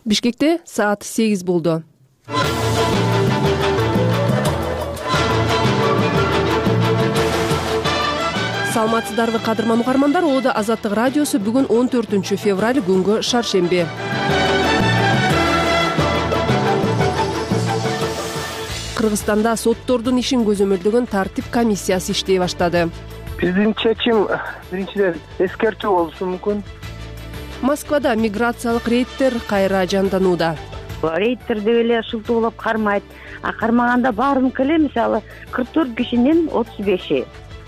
Бишкекте саат 8 болду. Саламатсыздарбы кадырман угармандар, Ода Азаттык радиосу бүгүн 14 февраль күнгө шаршемби. Кыргызстанда соттордун ишин көзөмөлдөгөн тартип комиссиясы иштей баштады. Биздин чечим биринчиден эскертүү болушу мүмкүн. Москвада миграциялык рейдтер кайра жанданууда. Рейдтер деп эле шылтоолоп кармайт, кармаганда баарыныкы эле мисалы 44 кишинин 35и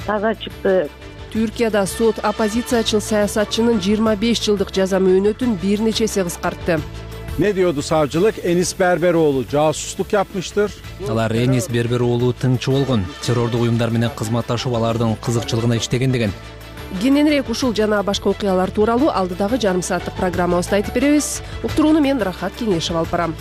таза чыкты. Түркияда сот оппозициячыл саясатчынын 25 жылдык жаза мөөнөтүн бир нече эсе кыскартты. Ne diyordu savcılık? Enis Berberoğlu casusluk yapmıştır. Алар Enis Berberoğlu тыңчы болгон, террордук уюмдар менен кызматташып алардын кызыкчылыгына иштеген деген. Кененирээк ушул жана башка окуялар тууралуу алдыдагы жарым сааттык программабызда айтып беребиз. Уктурууну мен Рахат Кеңешев алып барам.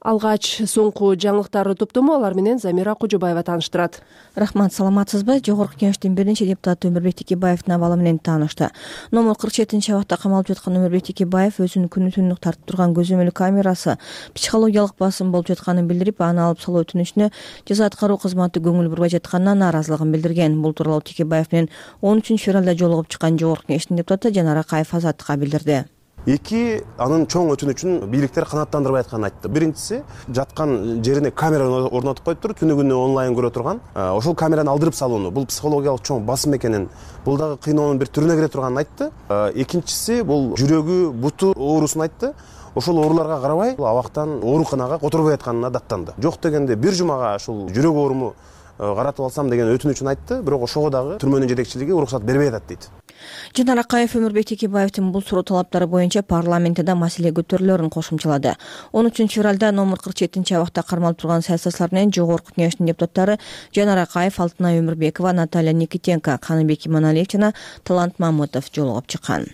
Алгач соңку жаңылыктарды топтому алар менен Замира Кожобаева тааныштырат. Рахмат, саламатсызбы? Жогорку Кеңештин биринчи депутаты Өмүрбек Текебаевдин абалы менен таанышты. Номер 47-абакта камалып жаткан Өмүрбек Текебаев өзүнүн күнү-түнү тартып турган көзөмөл камерасы психологиялык басым болуп жатканын билдирип, аны алып салуу өтүнүчүнө жаза аткаруу кызматы көңүл бурбай жатканына нааразылыгын билдирген. Бул тууралуу Текебаев менен 13 февралда жолугуп чыккан Жогорку Кеңештин депутаты Жанар Акаев Азаттыкка билдирди. Эки анын чоң өтүнүчүн бийликтер канааттандырбай атканын айтты. Биринчиси, жаткан жерине камера орнотуп коюптур, түнү күнү онлайн көрө турган. Ошол камераны алдырып салууну, бул психологиялык чоң басым экенин, бул дагы кыйноонун бир түрүнө кире турганын айтты. Экинчиси, бул жүрөгү, буту оорусун айтты. Ошол ооруларга карабай, абактан ооруканага которбой атканына даттанды. Жок дегенде бир жумага ушул жүрөк ооруму каратып алсам деген өтүнүчүн айтты, бирок ошого дагы түрмөнүн жетекчилиги уруксат бербей атат дейт. Жанар Акаев Өмүрбек Текебаевдин бул суроо талаптары боюнча парламентте маселе көтөрүлөрүн кошумчалады. 13 февралда номер 47-абакта кармалып турган саясатчылар менен Жогорку Кеңештин депутаттары Жанар Акаев, Алтынай Өмүрбекова, Наталья Никитенко, Каныбек Иманалиев жана Талант Мамытов жолугуп чыккан.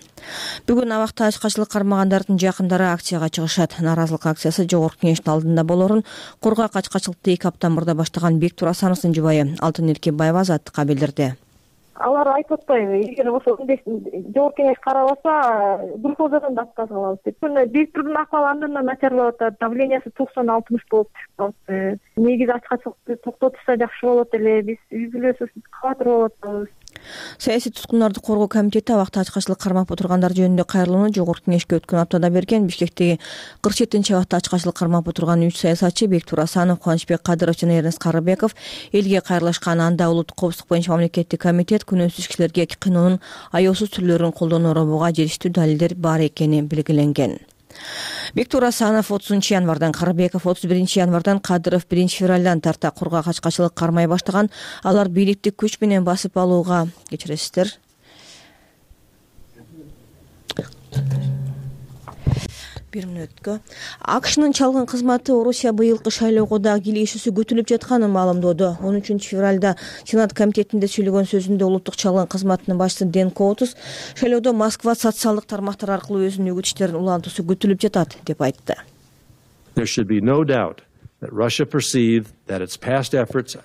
Бүгүн абакта ачкачылык кармагандардын жакындары акцияга чыгышат. Нааразылык акциясы Жогорку Кеңештин алдында болорун Кургак ачкачылыкты 2 апта мурда баштаган Бектур Асановдун жубайы Алтын Эркебаева Азаттыкка билдирди. Алар айтып атпайбы, эгер ошо Жогорку Кеңеш карабаса, Гүлфозадан да отказ алабыз деп. Бектурдун акыбалы андан начарлап атат, давлениясы 90-60 болуп чыгып калды. Негизи ачкачылыкты токтотушса жакшы болот эле, биз үй-бүлөсүбүз кабатыр болуп атабыз. Саясий туткундарды коргоо комитети абакта ачкачылык кармап отургандар жөнүндө кайрылууну Жогорку Кеңешке өткөн аптада берген. Бишкектеги 47-абакта ачкачылык кармап отурган 3 саясатчы Бектур Асанов, Кубанычбек Кадыров жана Эрнест Карыбеков элге кайрылышкан. Анда улуттук коопсуздук боюнча мамлекеттик комитет күнөөсүз кишилерге кыйноонун аяосуз түрлөрүн колдонуу робуга желиштүү далилдер бар экени белгиленген. Бектур Асанов 30 январдан, Карыбеков 31 январдан, Кадыров 1 февралдан тарта Кургак ачкачылык кармай баштаган. Алар бийликти күч менен басып алууга кечиресиздер. Бир мүнөткө. АКШнын чалгын кызматы Орусия быйылкы шайлоого дагы кийлешүүсү күтүлүп жатканын маалымдоодо. 13 февралда Сенат комитетинде сүйлөгөн сөзүндө улуттук чалгын кызматынын башчысы Дэн Коутус шайлоодо Москва социалдык тармактар аркылуу өзүнүн үгүт иштерин улантуусу күтүлүп жатат деп айтты. There should be no doubt that Russia perceived that its past efforts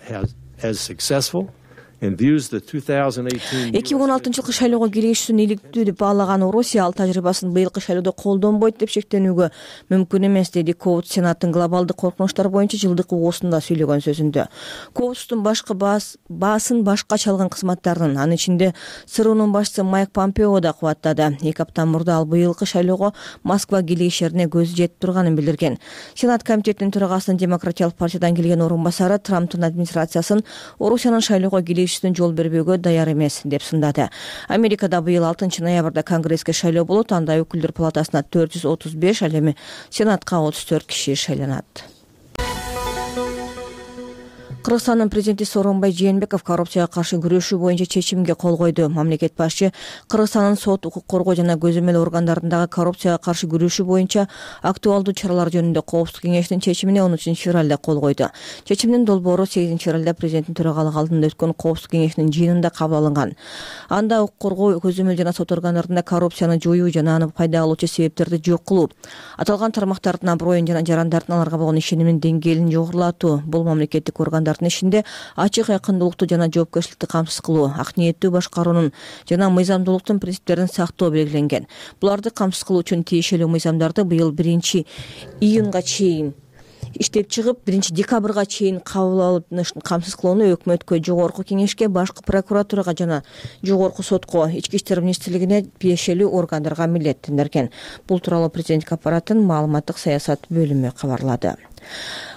as successful. 2016 жылкы шайлоого кийлешүүсүн иликтүү деп баалаган Орусия ал тажрыйбасын быйылкы шайлоодо колдонбойт деп шектенүүгө мүмкүн эмес, деди Коутс Сенаттын глобалдык коркунучтар боюнча жылдык угуусунда сүйлөгөн сөзүндө. Коутстун башкы баасын башка чалгын кызматтардын, анын ичинде ЦРУнун башчысы Майк Помпео да кубаттады. 2 апта мурда ал быйылкы шайлоого Москва кийлешерине көзү жетип турганын билдирген. Сенат комитетинин төрагасынын Демократиялык партиядан келген орун басары Трамптын администрациясын Орусиянын шайлоого жол бербөөгө даяр эмес деп сындады. Америкада быйыл 6 ноябрда Конгресске шайлоо болот. Анда өкүлдөр палатасына 435, ал эми Сенатка 34 киши шайланат. Кыргызстандын президенти Сооронбай Жээнбеков коррупцияга каршы күрөшүү боюнча чечимге кол койду. Мамлекет башчы Кыргызстандын сот, укук коргоо жана көзөмөл органдарындагы коррупцияга каршы күрөшүү боюнча актуалдуу чаралар жөнүндө Коопсуздук кеңешинин чечимине 13 февралда кол койду. Чечимдин долбоору 8 февралда президенттин төрагалыгы алдында өткөн Коопсуздук кеңешинин жыйынында кабыл алынган. Анда укук коргоо, көзөмөл жана сот органдарында коррупцияны жоюу жана аны пайда алуучу себептерди жок кылуу, аталган тармактардын аброюн жана жарандардын аларга болгон ишениминин деңгээлин жогорулатуу, бул мамлекеттик органдар мыйзамдардын ишинде ачык, айкындуулукту жана жоопкерчиликти камсыз кылуу, ак ниеттүү башкаруунун жана мыйзамдуулуктун принциптерин сактоо белгиленген. Буларды камсыз кылуу үчүн тиешелүү мыйзамдарды быйыл 1-июнга чейин иштеп чыгып, 1-декабрга чейин кабыл алынышын камсыз кылууну өкмөткө, жогорку кеңешке, башкы прокуратурага жана жогорку сотко, ички иштер министрлигине тиешелүү органдарга милдеттендирген. Бул тууралуу президенттик аппараттын маалыматтык саясат бөлүмү кабарлады.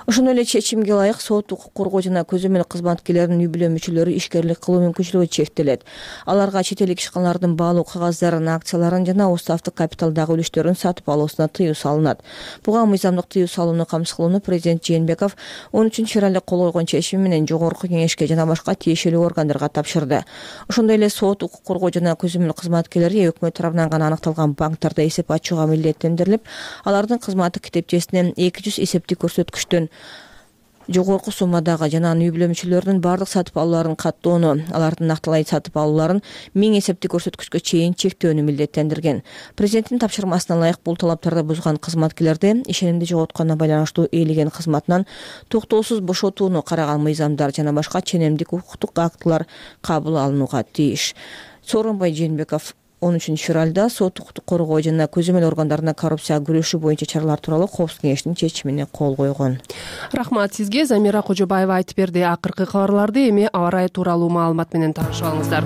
Ошондой эле чечимге ылайык сот, укук коргоо жана көзөмөл кызматкерлеринин үй-бүлө мүчөлөрү ишкерлик кылуу мүмкүнчүлүгү чектелет. Аларга чет элдик ишканалардын баалуу кагаздарын, акцияларын жана уставдык капиталдагы үлүштөрүн сатып алуусуна тыюу салынат. Буга мыйзамдык тыюу салууну камсыз кылууну президент Жээнбеков 13-февралда кол койгон чечими менен жогорку кеңешке жана башка тиешелүү органдарга тапшырды. Ошондой эле сот, укук коргоо жана көзөмөл кызматкерлери өкмөт тарабынан гана аныкталган банктарда эсеп ачууга милдеттендирилип, алардын кызматтык китепчесинен 200 эсептик көрсөткүчтөн жогорку суммадагы жана үй-бүлө мүчөлөрүнүн бардык сатып алууларын каттоону, алардын накталай сатып алууларын 1000 эсептик көрсөткүчкө чейин чектөөнү милдеттендирген. Президенттин тапшырмасына ылайык бул талаптарды бузган кызматкерлерди ишенимди жоготконуна байланыштуу ээлеген кызматынан токтоосуз бошотууну караган мыйзамдар жана башка ченемдик укуктук актылар кабыл алынууга тийиш. Сооронбай Жээнбеков 13-февралда сот, укуктук коргоо жана көзөмөл органдарына коррупцияга күрөшүү боюнча чаралар тууралуу Коопсуздук кеңешинин чечимине кол койгон. Рахмат сизге. Замира Кожобаева айтып берди. Акыркы кабарларды эми аба ырайы тууралуу маалымат менен таанышып алыңыздар.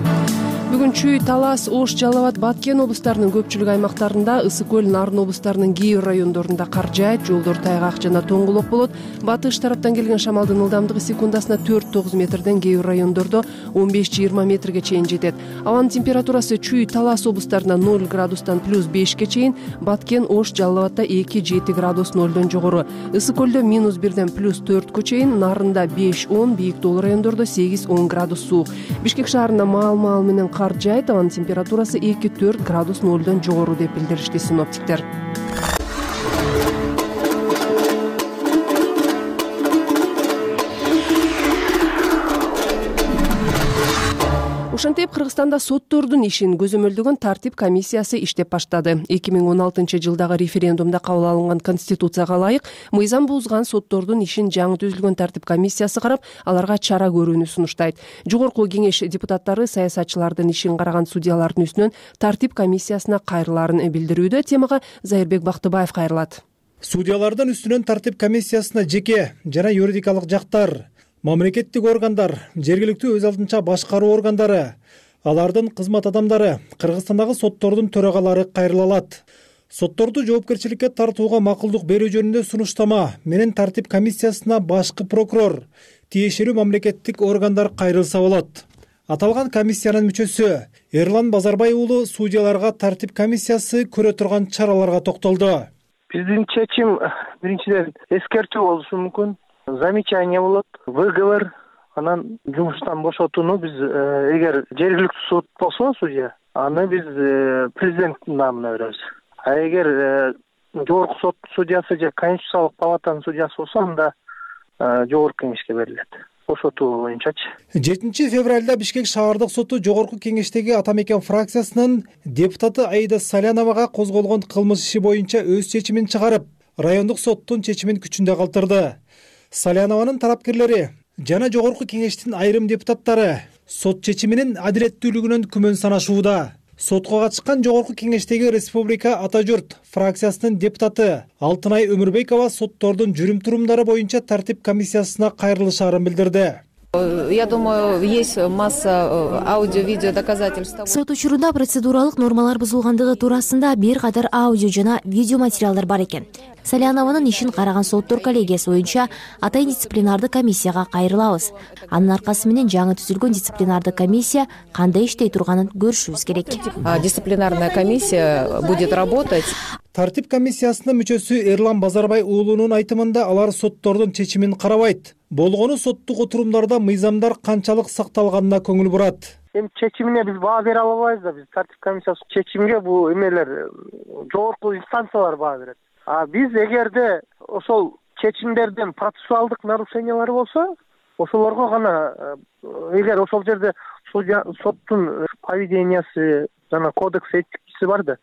Бүгүн Чүй, Талас, Ош, Жалал абад, Баткен облустарынын көпчүлүк аймактарында, Ысык көл, Нарын облустарынын кээ бир райондорунда кар жаайт, жолдор тайгак жана тоңголок болот. Батыш тараптан келген шамалдын ылдамдыгы секундасына 4-9 метрден, кээ бир райондордо 15-20 метрге чейин жетет. Абанын температурасы Чүй, Талас облустарында 0 градустан +5ке чейин, Баткен, Ош, Жалал абадда 2-7 градус 0дон жогору. Ысык көлдө -1ден +4кө чейин, Нарында 5-10, бийик тоолуу райондордо 8-10 градус суук. Бишкек шаарында маал менен кар жаайт, абанын температурасы 2-4 градус 0дон жогору деп билдиришти синоптиктер. Ошентип Кыргызстанда соттордун ишин көзөмөлдөгөн тартип комиссиясы иштеп баштады. 2016-жылдагы референдумда кабыл алынган конституцияга ылайык мыйзам бузган соттордун ишин жаңы түзүлгөн тартип комиссиясы карап, аларга чара көрүүнү сунуштайт. Жогорку кеңеш депутаттары саясатчылардын ишин караган судьялардын үстүнөн тартип комиссиясына кайрылаарын билдирүүдө. Темага Зайырбек Бактыбаев кайрылат. Судьялардын үстүнөн тартип комиссиясына жеке жана юридикалык жактар, мамлекеттик органдар, жергиликтүү өз алдынча башкаруу органдары, алардын кызмат адамдары, Кыргызстандагы соттордун төрагалары кайрыла алат. Сотторду жоопкерчиликке тартууга макулдук берүү жөнүндө сунуштама менен тартип комиссиясына башкы прокурор, тиешелүү мамлекеттик органдар кайрылса болот. Аталган комиссиянын мүчөсү Эрлан Базарбай уулу судьяларга тартип комиссиясы көрө турган чараларга токтолду. Биздин чечим биринчиден эскертүү болушу мүмкүн. Замечание болот, выговор, анан жумуштан бошотууну биз эгер жергиликтүү суд болсо судья, аны биз президенттин намына беребиз. А эгер жогорку сот судьясы же Конституциялык палатанын судьясы болсо, анда жогорку кеңешке берилет. Бошотуу боюнчачы. 7-февралда Бишкек шаардык соту жогорку кеңештеги Ата Мекен фракциясынын депутаты Аида Саляновага козголгон кылмыш иши боюнча өз чечимин чыгарып, райондук соттун чечимин күчүндө калтырды. Салянованын тарапкерлери жана жогорку кеңештин айрым депутаттары сот чечиминин адилеттүүлүгүнөн күмөн санашууда. Сотко катышкан жогорку кеңештеги Республика Ата журт фракциясынын депутаты Алтынай Өмүрбекова соттордун жүрүм-турумдары боюнча тартип комиссиясына кайрылышаарын билдирди. Я думаю, есть масса аудио-видео доказательств. Сот учурунда процедуралык нормалар бузулгандыгы туурасында бир катар аудио жана видео материалдар бар экен. Салянованын ишин караган соттор коллегиясы боюнча атайын дисциплинардык комиссияга кайрылабыз. Анын аркасы менен жаңы түзүлгөн дисциплинардык комиссия кандай иштей турганын көрүшүбүз керек. Дисциплинарная комиссия будет работать. Тартип комиссиясынын мүчөсү Эрлан Базарбай уулунун айтымында алар соттордун чечимин карабайт. Болгону соттук отурумдарда мыйзамдар канчалык сакталганына көңүл бурат. Эми чечимине биз баа бере албайбыз да, биз тартип комиссиясынын чечимине бул эмелер жогорку инстанциялар баа берет. А биз эгерде ошол чечимдерден процессуалдык нарушениялар болсо, ошолорго гана, эгер ошол жерде соттун поведениясы жана кодекс этикасы бар да,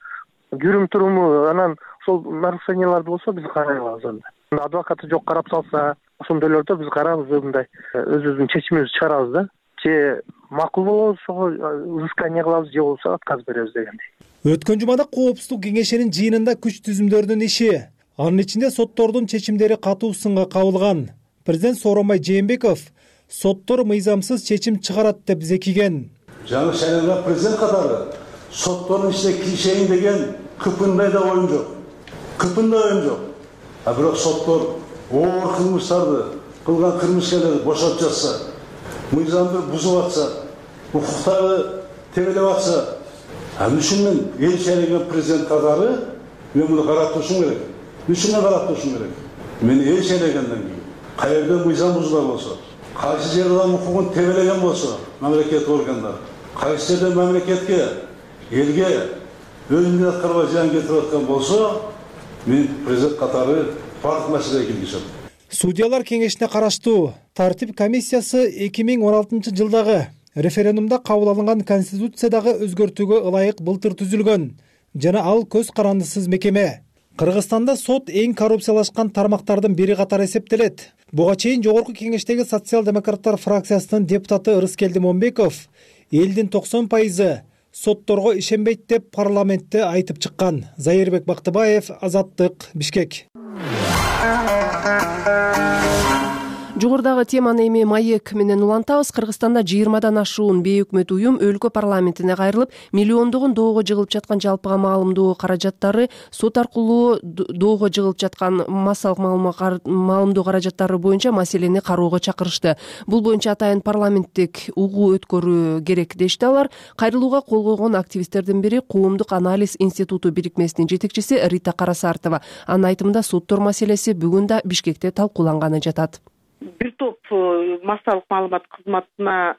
жүрүм-туруму, анан ошол нарушенияларды болсо биз карай алабыз анда. Адвокаты жок карап салса, ошондойлордо биз карарбыз, мындай өзүбүздүн чечимибизди чыгарабыз да. Же макул болобуз, ошого взыскание кылабыз, же болбосо отказ беребиз дегендей. Өткөн жумада Коопсуздук кеңешинин жыйынында күч түзүмдөрдүн иши, анын ичинде соттордун чечимдери катуу сынга кабылган. Президент Сооронбай Жээнбеков соттор мыйзамсыз чечим чыгарат деп зекиген. Жаңы шайланган президент катары соттордун ичине киришейин деген кыпындай да оюм жок. А бирок соттор оор кылмыштарды кылган кылмыскерлерди бошотуп жатса, мыйзамды бузуп атса, укуктарды тебелеп атса, анын үчүн мен эл шайланган президент катары мен муну карап турушум керек. Мен эл шайлагандан кийин каерде мыйзам бузулган болсо, кайсы жерде адам укугун тебелеген болсо, мамлекет органдары, кайсы жерде мамлекетке, элге өзүнүн аткарбай зыян кетирип аткан болсо, мен президент катары бардык маселеге киргизем. Судьялар кеңешине караштуу тартип комиссиясы 2016 жылдагы референдумда кабыл алынган конституциядагы өзгөртүүгө ылайык былтыр түзүлгөн жана ал көз карандысыз мекеме. Кыргызстанда сот эң коррупциялашкан тармактардын бири катары эсептелет. Буга чейин Жогорку кеңештеги социал-демократтар фракциясынын депутаты Ырыскелди Момбеков элдин 90% сотторго ишенбейт деп парламентте айтып чыккан. Зайырбек Бактыбаев, Азаттык, Бишкек. Жогорудагы теманы эми маек менен улантабыз. Кыргызстанда 20дан ашуун бейөкмөт уюм өлкө парламентине кайрылып, миллиондогон доого жыгылып жаткан жалпыга маалымдоо каражаттары, сот аркылуу доого жыгылып жаткан массалык маалымдоо каражаттары боюнча маселени кароого чакырышты. Бул боюнча атайын парламенттик угуу өткөрүү керек дешти алар. Кайрылууга кол койгон активисттердин бири Коомдук анализ институту бирикмесинин жетекчиси Рита Карасартова. Анын айтымында соттор маселеси бүгүн да Бишкекте талкууланганы жатат. Бир топ массалык маалымат кызматына,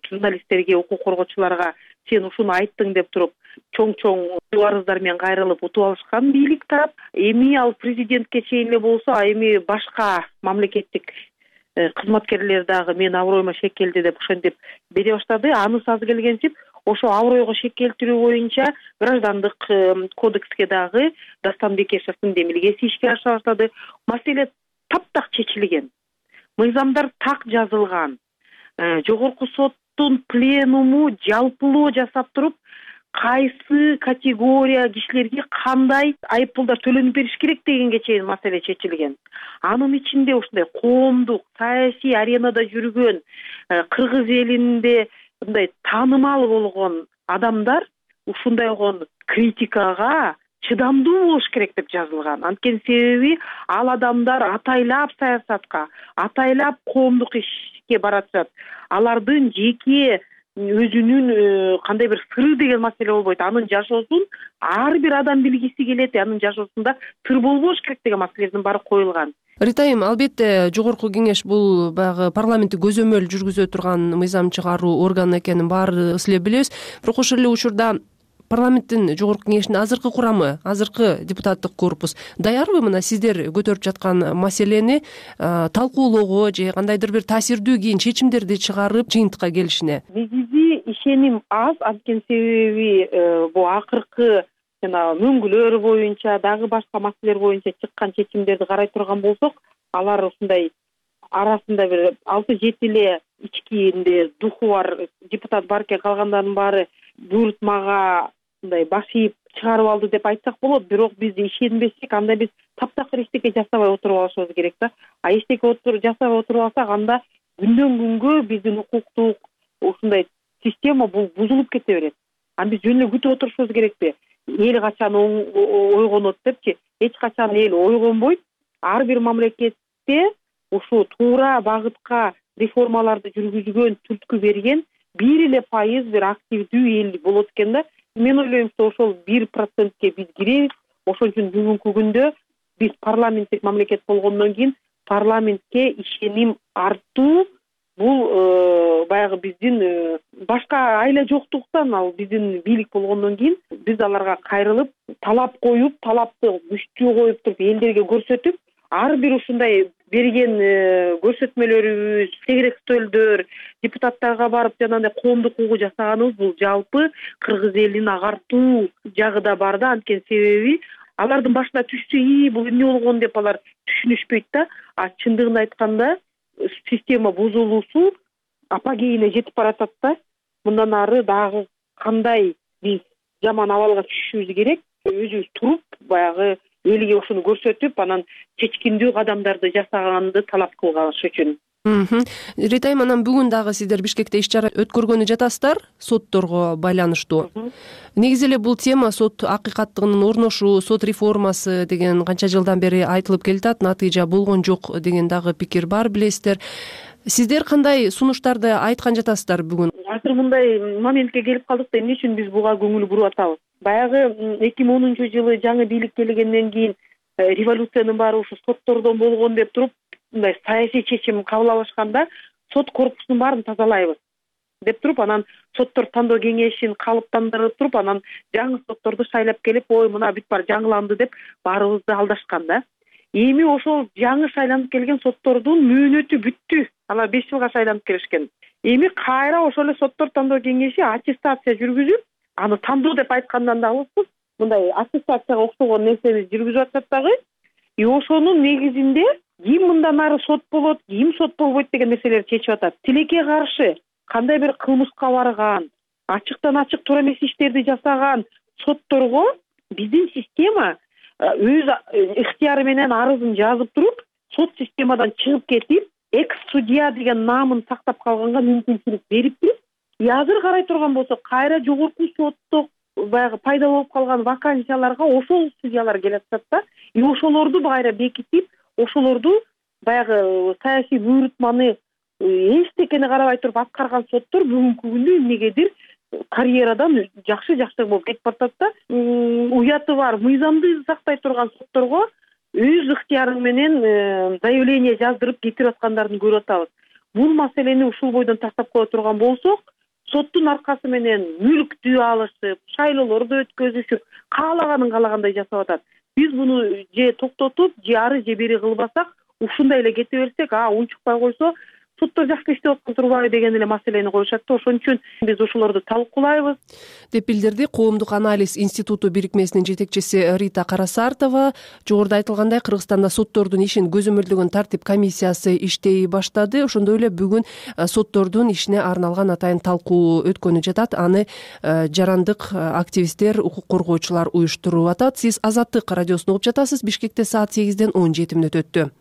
журналисттерге, укук коргоочуларга сен ушуну айттың деп туруп, чоң арыздар менен кайрылып утуп алышкан бийлик тарап. Эми ал президентке чейин эле болсо, эми башка мамлекеттик кызматкерлер дагы мен аброюма шек келди деп ошентип бере баштады. Анысы аз келгенсип, ошо абройго шек келтирүү боюнча граждандык кодекске дагы Дастан Бекешевдин демилгеси ишке аша баштады. Маселе таптак чечилген. Мыйзамдар так жазылган. Жогорку соттун пленуму жалпылоо жасап туруп, кайсы категория кишилерге кандай айыппулдар төлөнүп бериш керек дегенге чейин маселе чечилген. Анын ичинде ушундай коомдук, саясий аренада жүргөн, кыргыз элинде мындай таанымал болгон адамдар ушундай критикага чыдамдуу болуш керек деп жазылган. Анткени себеби ал адамдар атайлап саясатка, атайлап коомдук ишке баратышат. Алардын жеке өзүнүн кандай бир сыры деген маселе болбойт. Анын жашоосун ар бир адам билгиси келет, анын жашоосунда сыр болбош керек деген маселелердин баары коюлган. Ритайым, албетте Жогорку кеңеш бул баягы парламентти көзөмөл жүргүзө турган мыйзам чыгаруу органы экенин баарыбыз эле билебиз. Бирок ошол эле учурда парламенттин Жогорку кеңешинин азыркы курамы, азыркы депутаттык корпус даярбы мына сиздер көтөрүп жаткан маселени талкуулоого же кандайдыр бир таасирдүү кийин чечимдерди чыгарып жыйынтыкка келишине? Негизи ишеним аз, анткени себеби бул акыркы мөңгүлөр боюнча, дагы башка маселелер боюнча чыккан чечимдерди карай турган болсок, алар ушундай арасында бир 6-7 эле ичкинде духу бар депутат бар экен, калгандардын баары буйрутмага мындай баш ийип чыгарып алды деп айтсак болот. Бирок биз ишенбесек, анда биз таптакыр эчтеке жасабай отуруп алышыбыз керек да. Эчтеке жасабай отуруп алсак, анда күндөн күнгө биздин укуктук ушундай система бул бузулуп кете берет. Аны биз жөн эле күтүп отурушубуз керекпи? Эл качан ойгонот депчи? Эч качан эл ойгонбойт. Ар бир мамлекетте ушу туура багытка реформаларды жүргүзгөн, түрткү берген 1% бир активдүү эл болот экен да. Мен ойлойм, ошол 1%ке биз киребиз. Ошон үчүн бүгүнкү күндө биз парламенттик мамлекет болгондон кийин парламентке ишеним артуу бул баягы биздин башка айла жоктуктан, ал биздин бийлик болгондон кийин биз аларга кайрылып, талап коюп, талапты күчтүү коюп туруп элдерге көрсөтүп, ар бир ушундай берген көрсөтмөлөрүбүз, тегерек стөлдөр, депутаттарга барып жанагындай коомдук угуу жасаганыбыз бул жалпы кыргыз элин агартуу жагы да бар да. Анткени себеби алардын башына түшсө бул эмне болгон деп алар түшүнүшпөйт да. А чындыгын айтканда система бузулуусу апогейине жетип баратат да. Мындан ары дагы кандай биз жаман абалга түшүшүбүз керек, өзүбүз туруп баягы элге ошону көрсөтүп, анан чечкиндүү кадамдарды жасаганды талап кылган үчүн. Рита айым, анан бүгүн дагы сиздер Бишкекте иш-чара өткөргөнү жатасыздар сотторго байланыштуу. Негизи эле бул тема сот акыйкаттыгынын орношуу, сот реформасы деген канча жылдан бери айтылып келатат, натыйжа болгон жок деген дагы пикир бар, билесиздер. Сиздер кандай сунуштарды айткан жатасыздар бүгүн? Азыр мындай моментке келип калдык да, эмне үчүн биз буга көңүл буруп атабыз? Баягы 2010-жылы жаңы бийлик келгенден кийин революциянын баары ушу соттордон болгон деп туруп, мындай саясий чечим кабыл алышканда, сот корпусунун баарын тазалайбыз деп туруп, анан соттор тандоо кеңешин калыптандырып туруп, анан жаңы сотторду шайлап келип, ой мына бүт баары жаңыланды деп баарыбызды алдашкан да. Эми ошол жаңы шайланып келген соттордун мөөнөтү бүттү. Алар 5 жылга шайланып келишкен. Эми кайра ошол эле соттор тандоо кеңеши аттестация жүргүзүп, аны тандоо деп айткандан да алыспыз. Мындай аттестацияга окшогон нерсени жүргүзүп атат дагы. Ошонун негизинде ким мындан ары сот болот, ким сот болбойт деген нерселерди чечип атат. Тилекке каршы кандай бир кылмышка барган, ачыктан ачык туура эмес иштерди жасаган сотторго биздин система өз ыктыяры менен арызын жазып туруп, сот системадан чыгып кетип, экс-судья деген наамын сактап калганга мүмкүнчүлүк бериптир. Азыр карай турган болсок, кайра жогорку сотто баягы пайда болуп калган вакансияларга ошол судьялар келип атат да. Ошолорду кайра бекитип, ошолорду баягы саясий буйрутманы эчтекени карабай туруп аткарган соттор бүгүнкү күндө эмнегедир карьерадан жакшы болуп кетип атат да. Уяты бар, мыйзамды сактай турган сотторго өз ыктыярың менен заявление жаздырып кетирип аткандарын көрүп атабыз. Бул маселени ушул бойдон тактап кое турган болсок, соттун аркасы менен мүлктү алышып, шайлоолорду өткөзүшүп, каалагандай жасап атат. Биз буну же токтотуп, же ары же бери кылбасак, ушундай эле кете берсек, унчукпай койсо, соттор жакшы иштеп аткан турбайбы деген эле маселени коюшат да. Ошон үчүн биз ошолорду талкуулайбыз деп билдирди Коомдук анализ институту бирикмесинин жетекчиси Рита Карасартова. Жогоруда айтылгандай, Кыргызстанда соттордун ишин көзөмөлдөгөн тартип комиссиясы иштей баштады. Ошондой эле бүгүн соттордун ишине арналган атайын талкуу өткөнү жатат. Аны жарандык активисттер, укук коргоочулар уюштуруп атат. Сиз Азаттык радиосун угуп жатасыз. Бишкекте саат 8-ден 17 мүнөт өттү.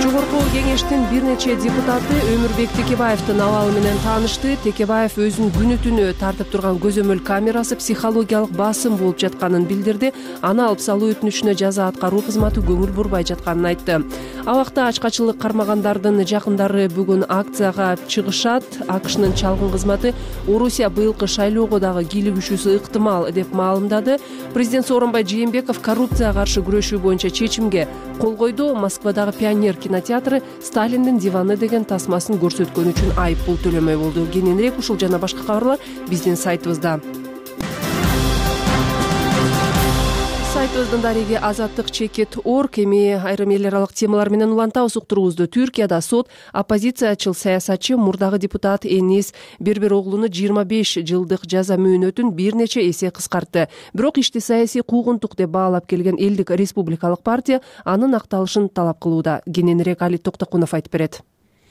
Жогорку кеңештин бир нече депутаты Өмүрбек Текебаевдин абалы менен таанышты. Текебаев өзүнүн күнү-түнү тартып турган көзөмөл камерасы психологиялык басым болуп жатканын билдирди. Аны алып салуу өтүнүчүнө жаза аткаруу кызматы көңүл бурбай жатканын айтты. Абакта ачкачылык кармагандардын жакындары бүгүн акцияга чыгышат. АКШнын чалгын кызматы Орусия быйылкы шайлоого дагы кийлигишүүсү ыктымал деп маалымдады. Президент Сооронбай Жээнбеков коррупцияга каршы күрөшүү боюнча чечимге кол койду. Москвадагы Пионер кинотеатры Сталиндин диваны деген тасмасын көрсөткөн үчүн айып пул төлөмөй болду. Кененирээк ушул жана башка кабарлар биздин сайтыбызда. Сайтыбыздын дареги azattik.org. Эми айрым эл аралык темалар менен улантабыз уктуруубузду. Түркияда сот оппозициячыл саясатчы мурдагы депутат Энис Бербероглуну 25 жылдык жаза мөөнөтүн бир нече эсе кыскартты. Бирок ишти саясий куугунтук деп баалап келген элдик республикалык партия анын акталышын талап кылууда. Кененирээк Али Токтокунов айтып берет.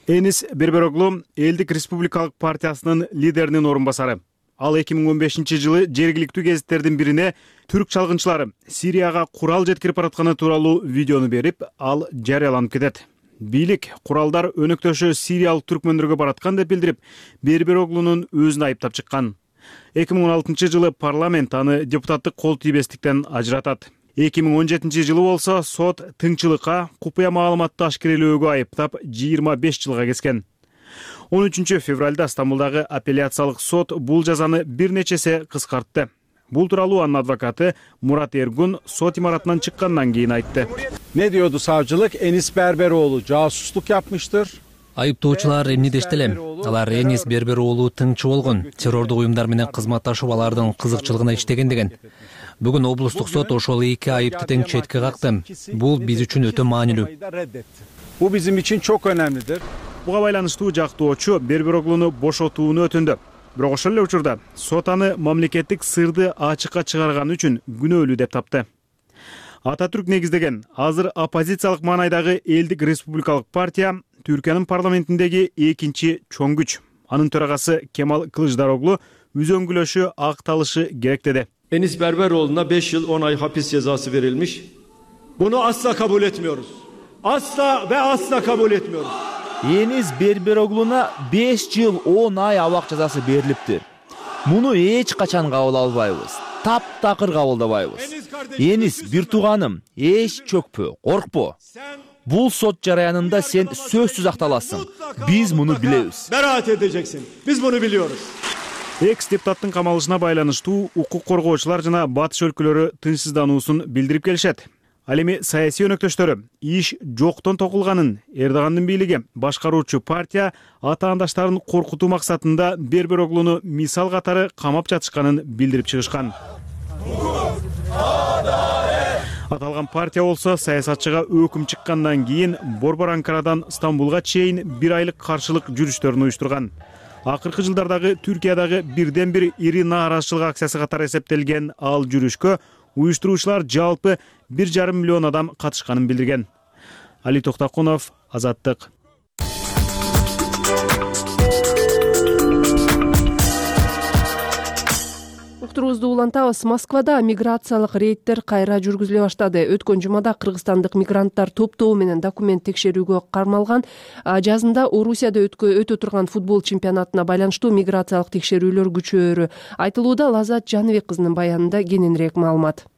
Энис Бербероглу элдик республикалык партиясынын лидеринин орун басары. Ал 2015 жылы жергиликтүү гезиттердин бирине түрк чалгынчылары Сирияга курал жеткирип баратканы тууралуу видеону берип, ал жарыяланып кетет. Бийлик куралдар өнөктөшү сириялык түркмөндөргө бараткан деп билдирип, Бербероглунун өзүн айыптап чыккан. 2016 жылы парламент аны депутаттык кол тийбестиктен ажыратат. 2017 жылы болсо сот тыңчылыкка, купуя маалыматты ашкерелөөгө айыптап 25 жылга кескен. 13 февралда Стамбулдагы апелляциялык сот бул жазаны бир нечесе кыскартты. Бул тууралуу анын адвокаты Мурат Эргун сот имаратынан чыккандан кийин айтты. Ne diyordu savcılık? Enis Berberoğlu casusluk yapmıştır. Айыптоочулар эмне дешти эле? Алар Энис Бербероглу тыңчы болгон, террордук уюмдар менен кызматташып алардын кызыкчылыгына иштеген деген. Бүгүн облустук сот ошол эки айыпты тең четке какты. Бул биз үчүн өтө маанилүү. Bu bizim için çok önemlidir. Буга байланыштуу жактоочу Бербероглуну бошотууну өтүндү. Бирок ошол эле учурда сот аны мамлекеттик сырды ачыкка чыгарганы үчүн күнөөлүү деп тапты. Ататүрк негиздеген азыр оппозициялык маанайдагы элдик республикалык партия Түркиянын парламентиндеги экинчи чоң күч. Анын төрагасы Кемал Кылычдароглу үзөңгүлөшү акталышы керек деди. Enis Berberoğlu'na 5 yıl 10 ay hapis cezası verilmiş. Bunu asla kabul etmiyoruz. Asla ve asla kabul etmiyoruz. Enis Berberoğlu'na 5 yıl 10 ay abak cezası beriliptir. Bunu hiç kaçan kabul albayбыз. Таптакыр кабылдабайбыз. Enis bir туганым, эч чөкпө, коркпо. Бул сот жараянында сен сөзсүз акталасың. Биз муну билебиз. Beraat edeceksin. Biz bunu biliyoruz. Экс-депутаттын камалышына байланыштуу укук коргоочулар жана батыш өлкөлөрү тынчсыздануусун билдирип келишет. Ал эми саясий өнөктөштөрү иш жоктон токулганын, Эрдогандын бийлиги башкаруучу партия атаандаштарын коркутуу максатында Бербероглуну мисал катары камап жатышканын билдирип чыгышкан. Аталган партия болсо саясатчыга өкүм чыккандан кийин Борбор Анкарадан Стамбулга чейин 1 айлык каршылык жүрүштөрүн уюштурган. Акыркы жылдардагы Түркиядагы бирден бир ири нааразычылык акциясы катары эсептелген ал жүрүшкө уюштуруучулар жалпы 1,5 миллион адам катышканын билдирген. Али Токтакунов, Азаттык. Уктуруубузду улантабыз. Москвада миграциялык рейдтер кайра жүргүзүлө баштады. Өткөн жумада кыргызстандык мигранттар топтоо менен документ текшерүүгө кармалган. Жазында Орусияда өтө турган футбол чемпионатына байланыштуу миграциялык текшерүүлөр күчөөрү айтылууда. Лазат Жаныбек кызынын баянында кененирээк маалымат.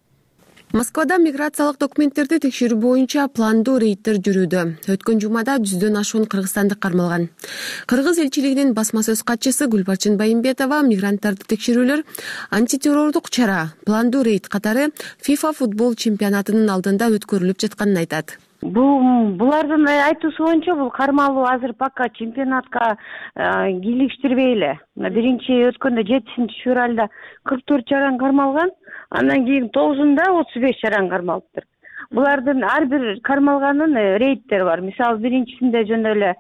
Москвада миграциялык документтерди текшерүү боюнча пландуу рейдтер жүрүүдө. Өткөн жумада 100дөн ашуун кыргызстандык кармалган. Кыргыз элчилигинин басма сөз катчысы Гүлбарчын Байымбетова мигранттарды текшерүүлөр антитеррордук чара, пландуу рейд катары FIFA футбол чемпионатынын алдында өткөрүлүп жатканын айтат. Булардын айтуусу боюнча бул кармалуу азыр пока чемпионатка кийлиштирбей эле. Биринчи өткөндө 7-февралда 44 чаран кармалган, андан кийин 9-да 35 чаран кармалыптыр. Булардын ар бир кармалганын рейдтери бар. Мисалы биринчисинде жөн эле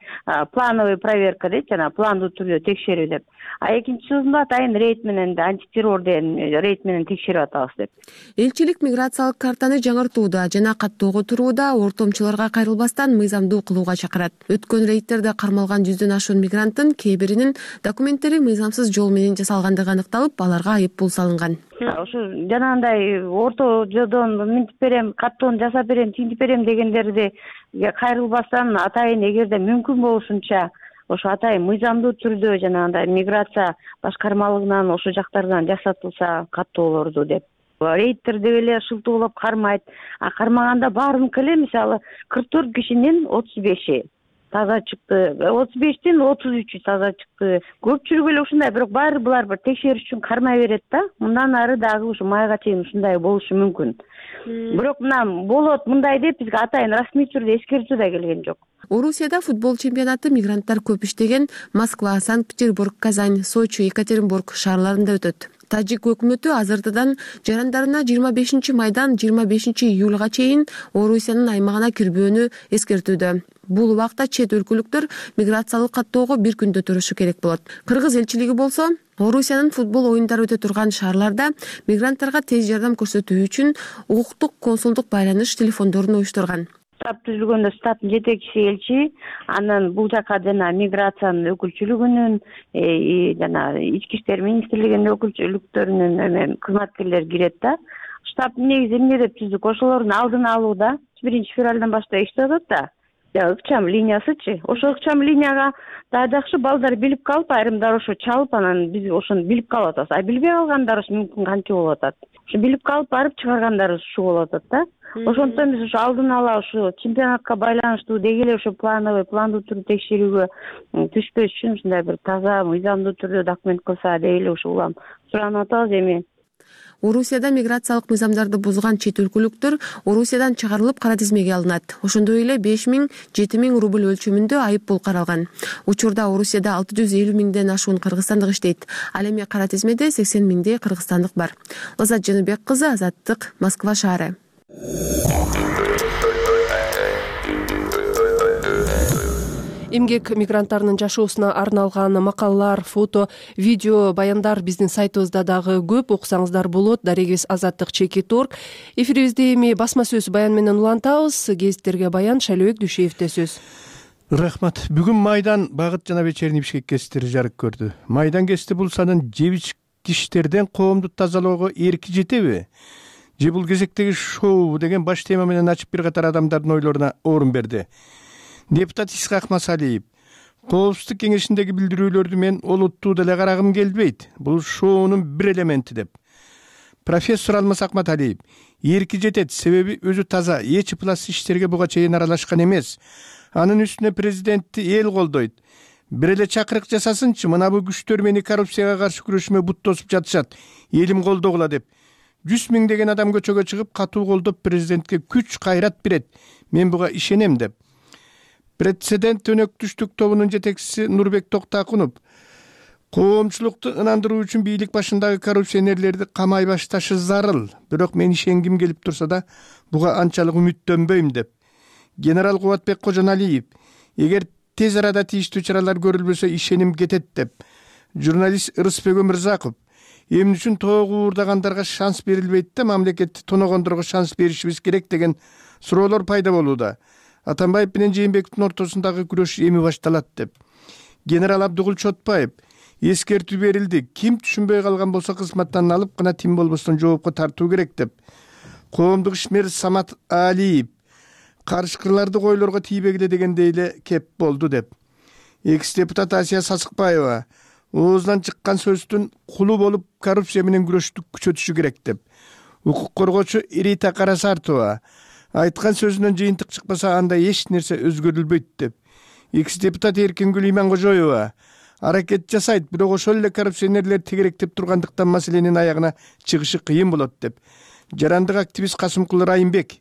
плановый проверка дейт, жана пландуу түрдө текшерүү деп. А экинчисинде атайын рейд менен антитеррор деген рейд менен текшерип атабыз деп. Элчилик миграциялык картаны жаңыртууда жана каттоого турууда ортомчуларга кайрылбастан мыйзамдуу кылууга чакырат. Өткөн рейдтерде кармалган 100дөн ашуун мигранттын кээ биринин документтери мыйзамсыз жол менен жасалгандыгы аныкталып, аларга айып пул салынган. Ошо жанагындай орто жолдон минтип берем, каттоону жасап берем, тинтип берем дегендерди кайрылбастан атайын эгерде мүмкүн болушунча ошо атайын мыйзамдуу түрдө жанагындай миграция башкармалыгынан ошо жактардан жасатылса каттоолорду деп. Рейдтер деп эле шылтоолоп кармайт. А кармаганда баарыныкы эле мисалы 44 кишинин 35и таза чыкты, 35тен 33 таза чыкты. Көпчүлүгү эле ушундай, бирок баары булар бир текшериш үчүн кармай берет да. Мындан ары дагы ушу майга чейин ушундай болушу мүмкүн. Бирок мына болот мындай деп бизге атайын расмий түрдө эскертүү да келген жок. Орусияда футбол чемпионаты мигранттар көп иштеген Москва, Санкт-Петербург, Казань, Сочи, Екатеринбург шаарларында өтөт. Тажик өкмөтү азыртадан жарандарына 25 майдан 25 июлга чейин Орусиянын аймагына кирбөөнү эскертүүдө. Бул убакта чет өлкөлүктөр миграциялык каттоого бир күндө турушу керек болот. Кыргыз элчилиги болсо Орусиянын футбол оюндары өтө турган шаарларда мигранттарга тез жардам көрсөтүү үчүн укуктук консулдук байланыш телефондорун уюштурган. Штаб түзүлгөндө штабтын жетекчиси элчи, анан бул жака жана миграциянын өкүлчүлүгүнүн, жана ички иштер министрлигинин өкүлчүлүктөрүнүн кызматкерлери кирет да. Штаб негизи эмне деп түздүк, ошолордун алдын алууда 1-февралдан баштап иштеп атат да. Ыкчам линиясычы. Ошо ыкчам линияга дагы жакшы балдар билип калып, айрымдар ошо чалып, анан биз ошону билип калып атабыз. А билбей калгандар мүмкүн кантип болуп атат. Ошо билип калып барып чыгаргандар ушул болуп атат да. Ошондон биз ошо алдын ала ошо чемпионатка байланыштуу деги эле ошо пландуу түрдө текшерүүгө түшпөш үчүн ушундай бир таза мыйзамдуу түрдө документ кылса деги эле ошо улам суранып атабыз эми. Орусияда миграциялык мыйзамдарды бузган чет өлкөлүктөр Орусиядан чыгарылып кара тизмеге алынат. Ошондой эле 5,000–7,000 рубль өлчөмүндө айып пул каралган. Учурда Орусияда 650 миңден ашуун кыргызстандык иштейт. Ал эми кара тизмеде 80 миңдей кыргызстандык бар. Лазат Жаныбек кызы, Азаттык, Москва шаары. эмгек мигранттарынын жашоосуна арналган макалалар, фото, видео, баяндар биздин сайтыбызда дагы көп, окусаңыздар болот. Дарегибиз Азаттык.org. Эфирибизде эми басма сөз баян менен улантабыз. Гезиттерге баян Шайлообек Дүйшеевде сөз. Рахмат. Бүгүн Майдан Багыт жана Вечерний Бишкек гезиттери жарык көрдү. Майдан гезити бул санын жебичкичтерден коомду тазалоого эрки жетеби? Же бул кезектеги шоу деген баш тема менен ачып бир катар адамдардын ойлоруна орун берди. Депутат Исхак Масалиев: Коопсуздук кеңешиндеги билдирүүлөрдү мен олуттуу деле карагым келбейт. Бул шоунун бир элементи деп. Профессор Алмаз Акматалиев: Эрки жетет, себеби өзү таза, эч плас иштерге буга чейин аралашкан эмес. Анын үстүнө президентти эл колдойт. Бир эле чакырык жасасынчы, мына бул күчтөр мени коррупцияга каршы күрөшүмө бут тосуп жатышат. Элим колдогула деп. 100 миңдеген адам көчөгө чыгып катуу колдоп президентке күч кайрат берет. Мен буга ишенем деп. Прецедент өнөктүштүк тобунун жетекчиси Нурбек Токтакунов: Коомчулукту ынандыруу үчүн бийлик башындагы коррупционерлерди камай башташы зарыл. Бирок мен ишенгим келип турса да, буга анчалык үмүттөнбөйм деп. Генерал Кубатбек Кожоналиев: Эгер тез арада тийиштүү чаралар көрүлбөсө ишеним кетет деп. Журналист Ырысбек Өмүрзаков: Эмне үчүн тоого уурдагандарга шанс берилбейт да мамлекетти тоногондорго шанс беришибиз керек деген суроолор пайда болууда. Атамбаев менен Жээнбековдун ортосундагы күрөш эми башталат деп. Генерал Абдыгул Чотбаев: Эскертүү берилди. Ким түшүнбөй калган болсо кызматтан алып гана тим болбостон жоопко тартуу керек деп. Коомдук ишмер Самат Алиев: Карышкырларды койлорго тийбегиле дегендей эле кеп болду деп. Экс-депутат Асия Сасыкбаева: Оозунан чыккан сөздүн кулу болуп коррупция менен күрөштү күчөтүшү керек деп. Укук коргоочу Ирита Карасартова: Айткан сөзүнөн жыйынтык чыкпаса анда эч нерсе өзгөрүлбөйт деп. Экс-депутат Эркингүл Иманкожоева: Аракет жасайт, бирок ошол эле коррупционерлер тегеректеп тургандыктан маселенин аягына чыгышы кыйын болот деп. Жарандык активист Касымкул Райымбек: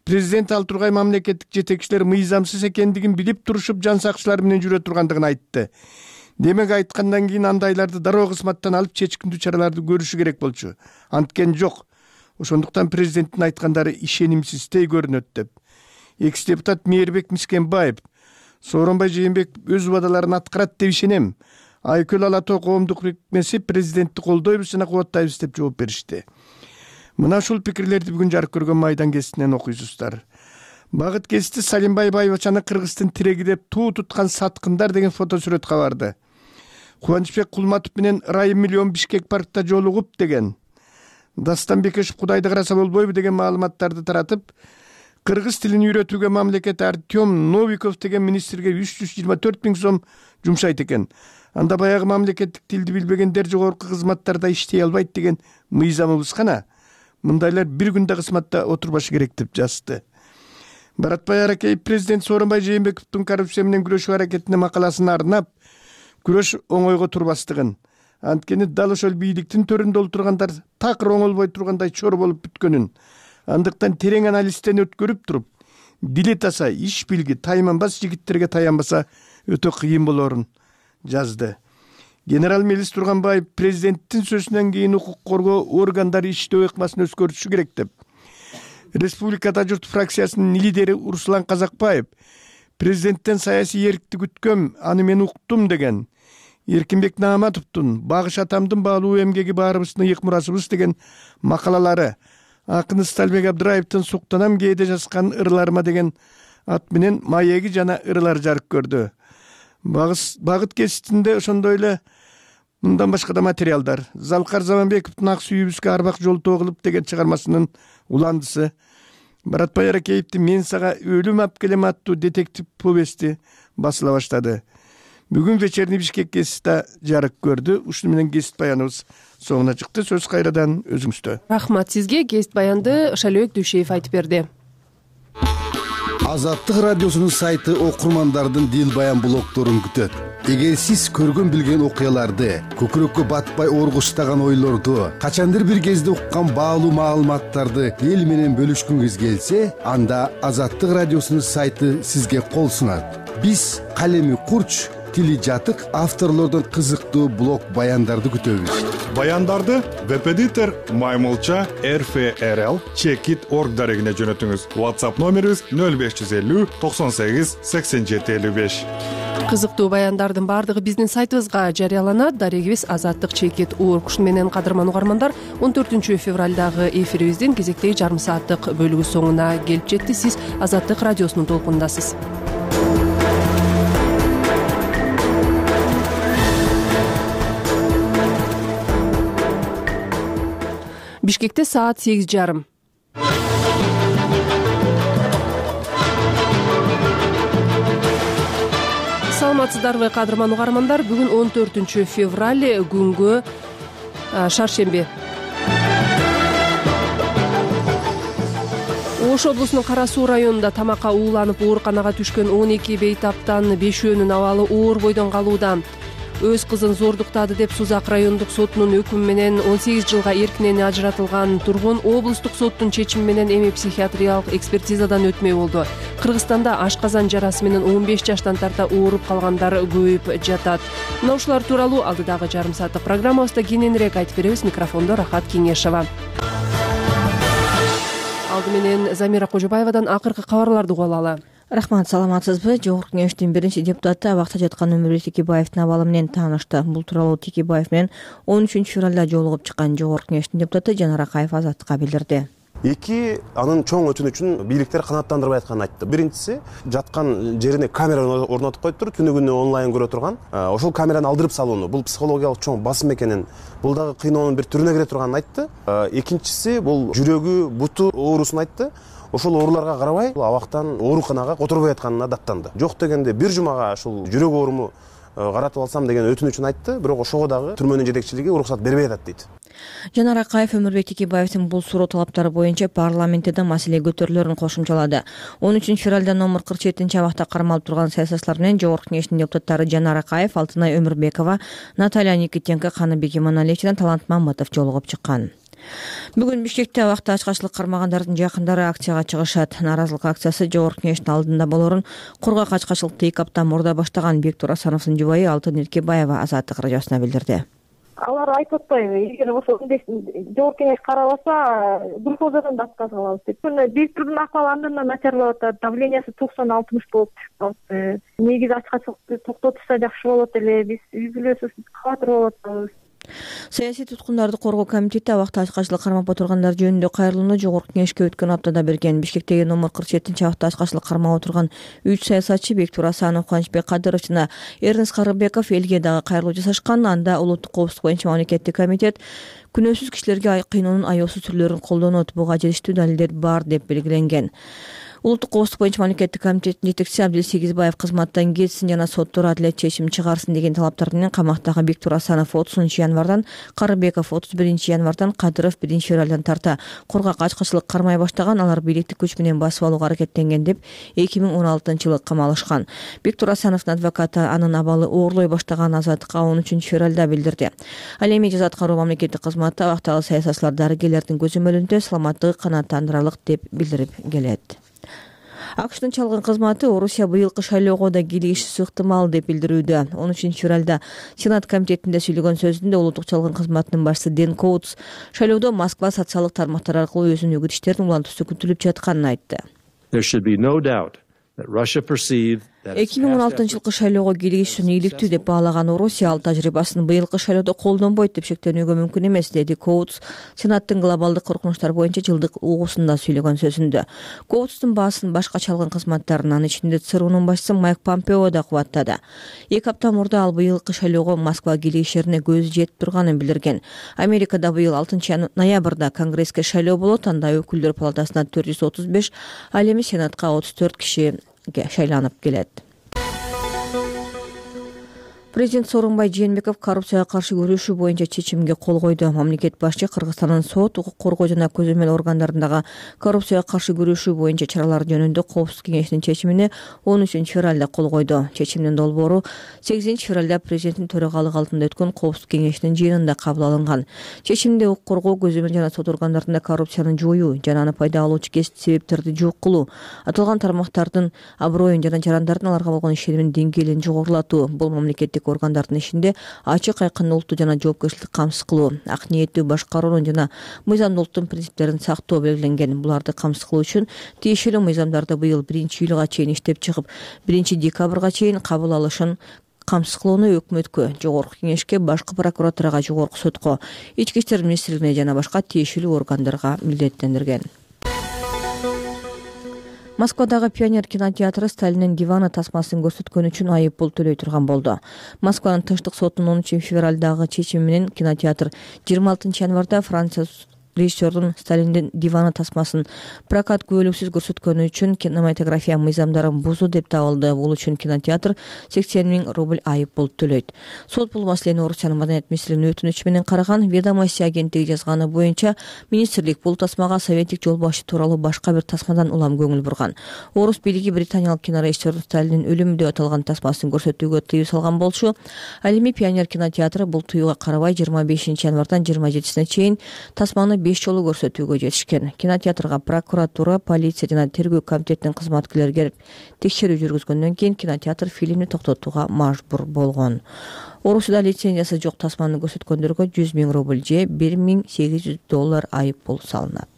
Президент ал тургай мамлекеттик жетекчилер мыйзамсыз экендигин билип турушуп жан сакчылар менен жүрө тургандыгын айтты. Демек айткандан кийин андайларды дароо кызматтан алып чечкиндүү чараларды көрүшү керек болчу. Анткен жок. Ошондуктан президенттин айткандары ишенимсиздей көрүнөт деп. Экс-депутат Мээрбек Мискенбаев: Сооронбай Жээнбеков өз убадаларын аткарат деп ишенем. Айкөл Ала Тоо коомдук бирикмеси президентти колдойбуз жана кубаттайбыз деп жооп беришти. Мына ушул пикирлерди бүгүн жарык көргөн Майдан гезитинен окуйсуздар. Багыт гезити Салимбай Байбачаны Кыргыздын тиреги деп туу туткан саткындар деген фотосүрөт кабарды. Кубанычбек Кулматов менен Райым Миллион Бишкек паркта жолугуп деген. Дастан Бекешев Кудайды караса болбойбу деген маалыматтарды таратып, кыргыз тилин үйрөтүүгө мамлекет Артем Новиков деген министрге 324 миң сом жумшайт экен. Анда баягы мамлекеттик тилди билбегендер жогорку кызматтарда иштей албайт деген мыйзамыбыз кана. Мындайлар бир күндө кызматта отурбашы керек деп жазды. Баратбай Аракеев президент Сооронбай Жээнбековдун коррупция менен күрөшүү аракетине макаласын арнап, күрөш оңойго турбастыгын, анткени дал ошол бийликтин төрүндө отургандар такыр оңолбой тургандай чор болуп бүткөнүн, андыктан терең анализден өткөрүп туруп, дили таса, иш билги тайманбас жигиттерге таянбаса өтө кыйын болорун жазды. Генерал Мелис Турганбаев президенттин сөзүнөн кийин укук коргоо органдары иштөө ыкмасын өзгөртүшү керек деп. Республикада журт фракциясынын лидери Урсулан Казакбаев: Президенттен саясий эркиндик күткөм, аны мен уктум деген. Эркинбек Нааматовдун Багыш атамдын баалуу эмгеги баарыбыздын ыйык мурасыбыз деген макалалары, акын Сталбек Абдыраевдин Суктанам кээде жазган ырларыма деген ат менен маеги жана ырлар жарык көрдү. Багыт гезитинде ошондой эле мындан башка да материалдар. Залкар Заманбековдун Ак сүйүбүзгө арбак жолтоо кылып деген чыгармасынын уландысы, Баратбай Аракеевдин Мен сага өлүм алып келем аттуу детектив повести басыла баштады. Бүгүн Вечерний Бишкек гезити жарык көрдү. Ушуну менен гезит баяныбыз соңуна чыкты. Сөз кайрадан өзүңүздө. Рахмат сизге. Гезит баянды Шайлообек Дүйшеев айтып берди. Азаттык радиосунун сайты окурмандардын дил баян блогторун күтөт. Эгер сиз көргөн билген окуяларды, көкүрөккө батпай оргуштаган ойлорду, качандыр бир кезде уккан баалуу маалыматтарды эл менен бөлүшкүңүз келсе, анда Азаттык радиосунун сайты сизге кол сунат. Биз калеми курч, тили жатык авторлордон кызыктуу блог баяндарды күтөбүз. Баяндарды Веб-эдитор Маймылча РФРЛ Checkit.org дарегине жөнөтүңүз. WhatsApp номерибиз 0550 98 87 55. Кызыктуу баяндардын баардыгы биздин сайтыбызга жарыяланат. Дарегибиз Азаттык Checkit.org. Ушун менен кадырман угармандар, 14 февралдагы эфирибиздин кезектеги жарым сааттык бөлүгү соңуна келип жетти. Сиз Азаттык радиосунун толкунундасыз. Бишкекте саат 8:30. Саламатсыздарбы кадырман угармандар? Бүгүн 14 февраль күнгө шаршемби. Ош облусунун Кара Суу районунда тамакка ууланып ооруканага түшкөн 12 бейтаптан 5өөнүн абалы оор бойдон калууда. Өз кызын зордуктады деп Сузак райондук сотунун өкүмү менен 18 жылга эркинен ажыратылган тургун облустук соттун чечими менен эми психиатриялык экспертизадан өтмөй болду. Кыргызстанда ашказан жарасы менен 15 жаштан тарта ооруп калгандар көбөйүп жатат. Мына ушулар тууралуу алдыдагы жарым сааттык программабызда кененирээк айтып беребиз. Микрофондо Рахат Кеңешова. Алды менен Замира Кожобаевадан акыркы кабарларды угуп алалы. Рахмат, саламатсызбы? Жогорку Кеңештин биринчи депутаты абакта жаткан Өмүрбек Текебаевдин абалы менен таанышты. Бул тууралуу Текебаев менен 13 февралда жолугуп чыккан Жогорку Кеңештин депутаты Жанар Акаев Азаттыкка билдирди. Эки анын чоң өтүнү үчүн бийликтер канааттандырбай атканын айтты. Биринчиси, жаткан жерине камера орнотуп коюп туруп, түнү күнү онлайн көрө турган, ошол камераны алдырып салууну, бул психологиялык чоң басым экенин, бул дагы кыйноонун бир түрүнө кире турганын айтты. Экинчиси, бул жүрөгү, буту оорусун айтты. Ошол ооруларга карабай, абактан ооруканага которбой атканына даттанды. Жок дегенде бир жумага ушул жүрөк ооруму каратып алсам деген өтүнүчүн айтты, бирок ошого дагы түрмөнүн жетекчилиги уруксат бербей атат дейт. Жанар Акаев Өмүрбек Текебаевдин бул суроо талаптары боюнча парламентте да маселе көтөрүлөрүн кошумчалады. 13 февралда номер 47 абакта кармалып турган саясатчылар менен Жогорку Кеңештин депутаттары Жанар Акаев, Алтынай Өмүрбекова, Наталья Никитенко, Каныбек Иманалиев жана Талант Мамытов жолугуп чыккан. Бүгүн Бишкекте абакта ачкачылык кармагандардын жакындары акцияга чыгышат. Нааразылык акциясы Жогорку Кеңештин алдында болорун кургак ачкачылыкты 2 апта мурда баштаган Бектур Асановдун жубайы Алтын Эркебаева Азаттык радиосуна билдирди. Алар айтып атпайбы, эгер ошо Жогорку Кеңеш карабаса, глюкозадан да отказ алабыз деп. Бектурдун акыбалы андан начарлап атат, давлениясы 90-60 болуп чыгып калды. Негизи ачкачылыкты токтотушса жакшы болот эле, биз үй бүлөсү катыр болуп атабыз. Саясий туткундарды коргоо комитети абакта ачкачылык кармап отургандар жөнүндө кайрылууну Жогорку Кеңешке өткөн аптада берген. Бишкектеги номер 47 абакта ачкачылык кармап отурган 3 саясатчы Бектур Асанов, Кубанычбек Кадыров жана Эрнест Карыбеков элге дагы кайрылуу жасашкан. Анда улуттук коопсуздук боюнча мамлекеттик комитет күнөөсүз кишилерге кыйноонун аеосуз түрлөрүн колдонот, буга жетиштүү далилдер бар деп белгиленген. Улуттук коопсуздук боюнча мамлекеттик комитеттин жетекчиси Абдил Сегизбаев кызматтан кетсин жана соттор адилет чечим чыгарсын деген талаптар менен камактагы Бектур Асанов 30 январдан, Карыбеков 31 январдан, Кадыров 1 февралдан тарта кургак ачкачылык кармай баштаган. Алар бийликтик күч менен басып алууга аракеттенген деп 2016-жылы камалышкан. Бектур Асановдун адвокаты анын абалы оорлой баштаган Азаттыкка 13 февралда билдирди. Ал эми жаза аткаруу мамлекеттик кызматы абактагы саясатчылар дарыгерлердин көзөмөлүндө саламаттыгы канааттандырарлык деп билдирип келет. АКШтын чалгын кызматы Орусия быйылкы шайлоого да кийлигиши ыктымал деп билдирүүдө. 13 февралда Сенат комитетинде сүйлөгөн сөзүндө улуттук чалгын кызматынын башчысы Дэн Коутс шайлоодо Москва социалдык тармактар аркылуу өзүнүн үгүтүштөрүн улантуусу күтүлүп жатканын айтты. 2016-жылкы шайлоого кийлигиш үчүн ийгиликтүү деп баалаган Орусия ал тажрыйбасын быйылкы шайлоодо колдонбойт деп шектенүүгө мүмкүн эмес, деди Коутс Сенаттын глобалдык коркунучтар боюнча жылдык угуусунда сүйлөгөн сөзүндө. Коутстун баасын башка чалгын кызматтарын, анын ичинде ЦРУнун башчысы Майк Помпео да кубаттады. 2 апта мурда ал быйылкы шайлоого Москва кийлигиштерине көзү жетип турганын билдирген. Америкада быйыл 6 ноябрда Конгресске шайлоо болот, анда өкүлдөр палатасына 435, ал эми Сенатка 34 киши шайланып келет. Президент Сооронбай Жээнбеков коррупцияга каршы күрөшүү боюнча чечимге кол койду. Мамлекет башчы Кыргызстандын сот, укук коргоо жана көзөмөл органдарындагы коррупцияга каршы күрөшүү боюнча чаралар жөнүндө Коопсуздук кеңешинин чечимине 13 февралда кол койду. Чечимдин долбоору 8 февралда президенттин төрагалыгы алдында өткөн Коопсуздук кеңешинин жыйынында кабыл алынган. Чечимде укук коргоо, көзөмөл жана сот органдарында коррупцияны жоюу жана аны пайда алуучу себептерди жок кылуу, аталган тармактардын аброюн жана жарандардын аларга болгон ишенимин деңгээлин жогорулатуу, бул мамлекеттик органдардын ишинде ачык, айкындуулукту жана жоопкерчиликти камсыз кылуу, ак ниеттүү башкаруунун жана мыйзамдуулуктун принциптерин сактоо белгиленген. Буларды камсыз кылуу үчүн тиешелүү мыйзамдарды быйыл 1-июлга чейин иштеп чыгып, 1-декабрга чейин кабыл алышын камсыз кылууну өкмөткө, жогорку кеңешке, башкы прокуратурага, жогорку сотко, ички иштер министрлигине жана башка тиешелүү органдарга милдеттендирген. Москвадагы Пионер кинотеатры Сталиндин диваны тасмасын көрсөткөн үчүн айып пул төлөй турган болду. Москванын Тынчтык сотунун 13 февралдагы чечими менен кинотеатр 26 январда Франция режиссердун Сталиндин диваны тасмасын прокат күбөлүксүз көрсөткөнү үчүн кинематография мыйзамдарын бузуу деп табылды. Бул үчүн кинотеатр 80 000 рубль айып пул төлөйт. Сот бул маселени Орусиянын маданият министринин өтүнүчү менен караган. Ведомости агенттиги жазганы боюнча министрлик бул тасмага советтик жолбашчы тууралуу башка бир тасмадан улам көңүл бурган. Орус бийлиги британиялык кинорежиссердун Сталиндин өлүмү деп аталган тасмасын көрсөтүүгө тыюу салган болчу. Ал эми Пионер кинотеатры бул тыюуга карабай 25 январдан 27-сине чейин тасманы 5 жолу көрсөтүүгө жетишкен. Кинотеатрга прокуратура, полиция жана тергөө комитетинин кызматкерлери келип текшерүү жүргүзгөндөн кийин кинотеатр фильмди токтотууга мажбур болгон. Орусияда лицензиясы жок тасманы көрсөткөндөргө 100 000 рубль же $1800 айып пул салынат.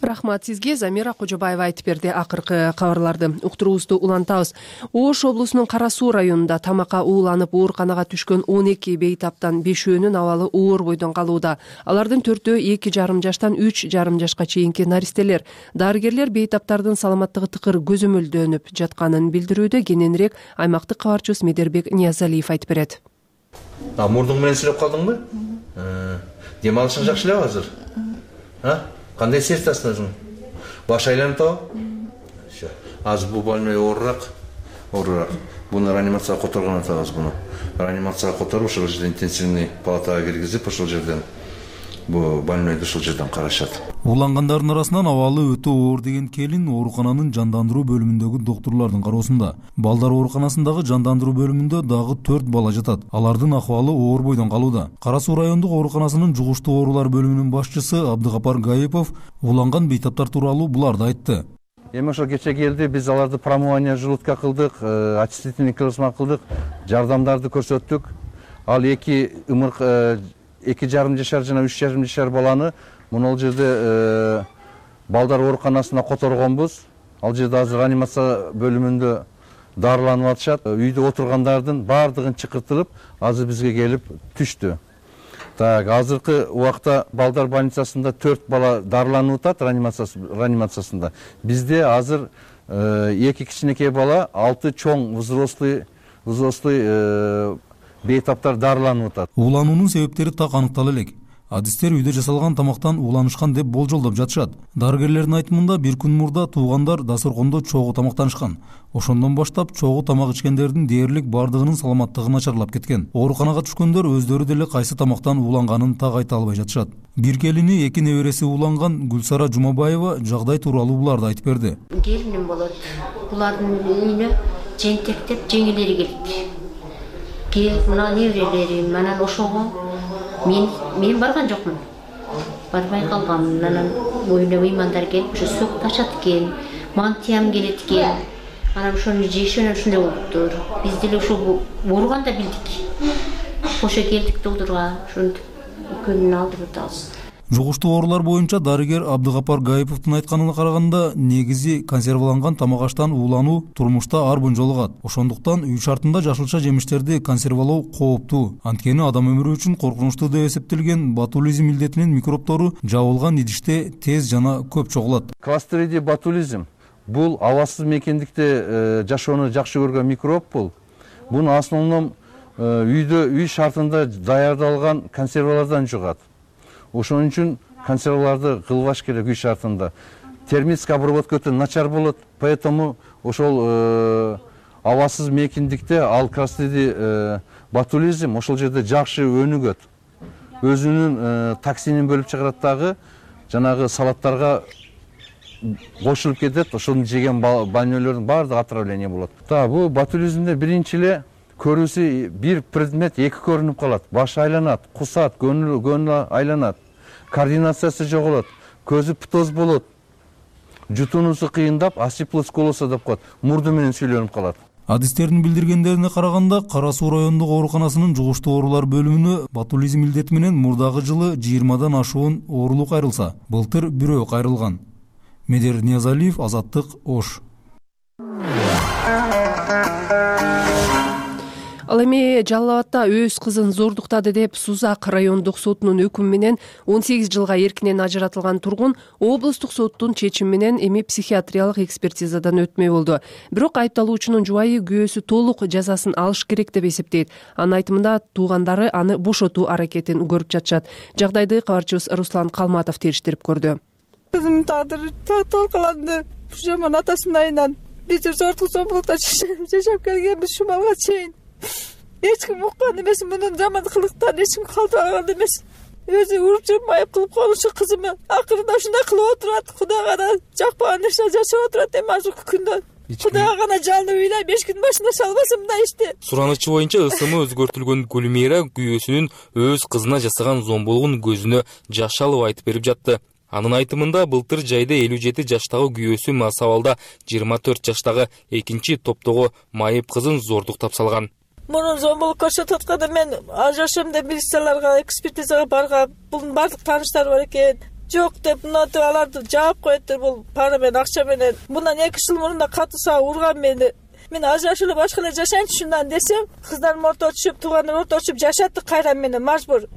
Рахмат сизге. Замира Кожобаева айтып берди акыркы кабарларды. Уктуруубузду улантабыз. Ош облусунун Кара Суу районунда тамакка ууланып ооруканага түшкөн 12 бейтаптан 5өөнүн абалы оор бойдон калууда. Алардын 4-өө 2,5 жаштан 3,5 жашка чейинки наристелер. Дарыгерлер бейтаптардын саламаттыгы тыкыр көзөмөлдөнүп жатканын билдирүүдө. Кененирээк аймактык кабарчыбыз Медербек Ниязалиев айтып берет. Мурдуң менен сүрөп калдыңбы? Дем алышың жакшы элеби азыр? Кандай сезип өзүң? Баш айланып атабы? Азыр бул больной оорураак. Буну реанимацияга которгон атабыз буну. Реанимацияга которуп, ошол жерден интенсивный палатага киргизип, ошол жерден бул больнойду ушул жерден карашат. Уулангандардын арасынан абалы өтө оор деген келин оорукананын жандандыруу бөлүмүндөгү доктурлардын кароосунда. Балдар ооруканасындагы жандандыруу бөлүмүндө дагы 4 бала жатат. Алардын акыбалы оор бойдон калууда. Кара Суу райондук ооруканасынын жугуштуу оорулар бөлүмүнүн башчысы Абдыгапар Гаипов ууланган бейтаптар тууралуу буларды айтты. Эми ошо кече келди, биз аларды промывание желудка кылдык, очистительный клизма кылдык, жардамдарды көрсөттүк. Ал 2,5 жашар жана 3,5 жашар баланы мына жерде балдар ооруканасына которгонбуз. Ал жерде азыр реанимация бөлүмүндө дарыланып атышат. Үйдө отургандардын баардыгын чакыртылып, азыр бизге келип түштү. Так, азыркы убакта балдар больницасында 4 бала дарыланып атат реанимациясында. Бизде азыр 2 кичинекей бала, 6 чоң взрослый бейтаптар дарыланып атат. Уулануунун себептери так аныктала элек. Адистер үйдө жасалган тамактан ууланышкан деп болжолдоп жатышат. Дарыгерлердин айтымында бир күн мурда туугандар дасторкондо чогуу тамактанышкан. Ошондон баштап чогуу тамак ичкендердин дээрлик бардыгынын саламаттыгы начарлап кеткен. Ооруканага түшкөндөр өздөрү деле кайсы тамактан ууланганын так айта албай жатышат. Бир келини, 2 небереси ууланган Гүлсара Жумабаева жагдай тууралуу буларды айтып берди. Келиним болот. Булардын үйүнө жентектеп жеңилери келди. Мына неберелерим, анан ошого мен барган жокмун. Барбай калгам. Анан үйүнө мыймандар келип, ошо сок ташат экен, мантиям келет экен. Анан ошону жешөнө ушундай болуптур. Биз деле ошо ооруганда билдик. Ошо келдик доктурга, ошентип экөөнүн алдырып атабыз. Жугуштуу оорулар боюнча дарыгер Абдыгапар Гаиповдун айтканына караганда, негизи консерваланган тамак аштан уулануу турмушта ар бүн жолугат. Ошондуктан үй шартында жашылча жемиштерди консервалоо кооптуу. Анткени адам өмүрү үчүн коркунучтуу деп эсептелген ботулизм илдетинин микробтору жабылган идиште тез жана көп чогулат. Кластридий ботулизм бул абасыз мекендикте жашоону жакшы көргөн микроб бул. Буну основном үй шартында даярдалган консервалардан жугат. Ошон үчүн консерваларды кылбаш керек үй шартында. Термический обработка өтө начар болот, поэтому ошол абасыз мекендикте ал кастеди ботулизм ошол жерде жакшы өнүгөт. Өзүнүн токсинин бөлүп чыгарат дагы, жанагы салаттарга кошулуп кетет. Ошону жеген больнойлордун баардыгы отравление болот. Бул ботулизмде биринчи эле көрүүсү бир предмет эки көрүнүп калат. Баш айланат, кусат, көңүл айланат. Координациясы жоголот, көзү птоз болот. Жутуунуусу кыйындап, асиплосколоса деп коет. Мурду менен сүйлөнүп калат. Адистердин билдиргендерине караганда, Кара Суу райондук ооруканасынын жугуштуу оорулар бөлүмүнө ботулизм илдети менен мурдагы жылы 20дан ашуун оорулук кайрылса, былтыр бирөө кайрылган. Медер Ниязалиев, Азаттык, Ош. Ал эми Жалал Абадда өз кызын зордуктады деп Сузак райондук сотунун өкүмү менен 18 жылга эркинен ажыратылган тургун облустук соттун чечими менен эми психиатриялык экспертизадан өтмөй болду. Бирок айыпталуучунун жубайы күйөөсү толук жазасын алыш керек деп эсептейт. Анын айтымында туугандары аны бошотуу аракетин көрүп жатышат. Жагдайды кабарчыбыз Руслан Калматов териштирип көрдү. Кызымдын тагдыры талкаланды. Жаман атасынын айынан биз зордук зомбулукта жашап келгенбиз ушул балга чейин. Эч ким уккан эмес, мунун жаман кылыктарын эч ким калтырган эмес. Өзү уруп жүрүп майып кылып коюшу кызымы акырында ушундай кылып отурат. Кудайга да жакпаган нерсе жашап отурат эми азыркы күндө. Кудайга гана жалынып ыйлайм, эч ким башына салбасын мындай ишти. Суранычы боюнча ысымы өзгөртүлгөн Гүлмира күйөөсүнүн өз кызына жасаган зомбулугун көзүнө жаш алып айтып берип жатты. Анын айтымында былтыр жайда 57 жаштагы күйөөсү Масабалда 24 жаштагы экинчи топтогу майып кызын зордуктап салган. Мунун зомбулук көрсөтүп атканда мен ажырашам деп милицияларга, экспертизага баргам. Бунун бардык тааныштары бар экен. Жок деп, мынтип аларды жаап коеттир. Бул пара менен, акча менен. Мындан 2 жыл мурунда катыса урган мени. Мен ажырашып эле башка эле жашайынчы шундан десем, кыздарым орто түшүп, туугандар орто түшүп жашатты кайра мени мажбур.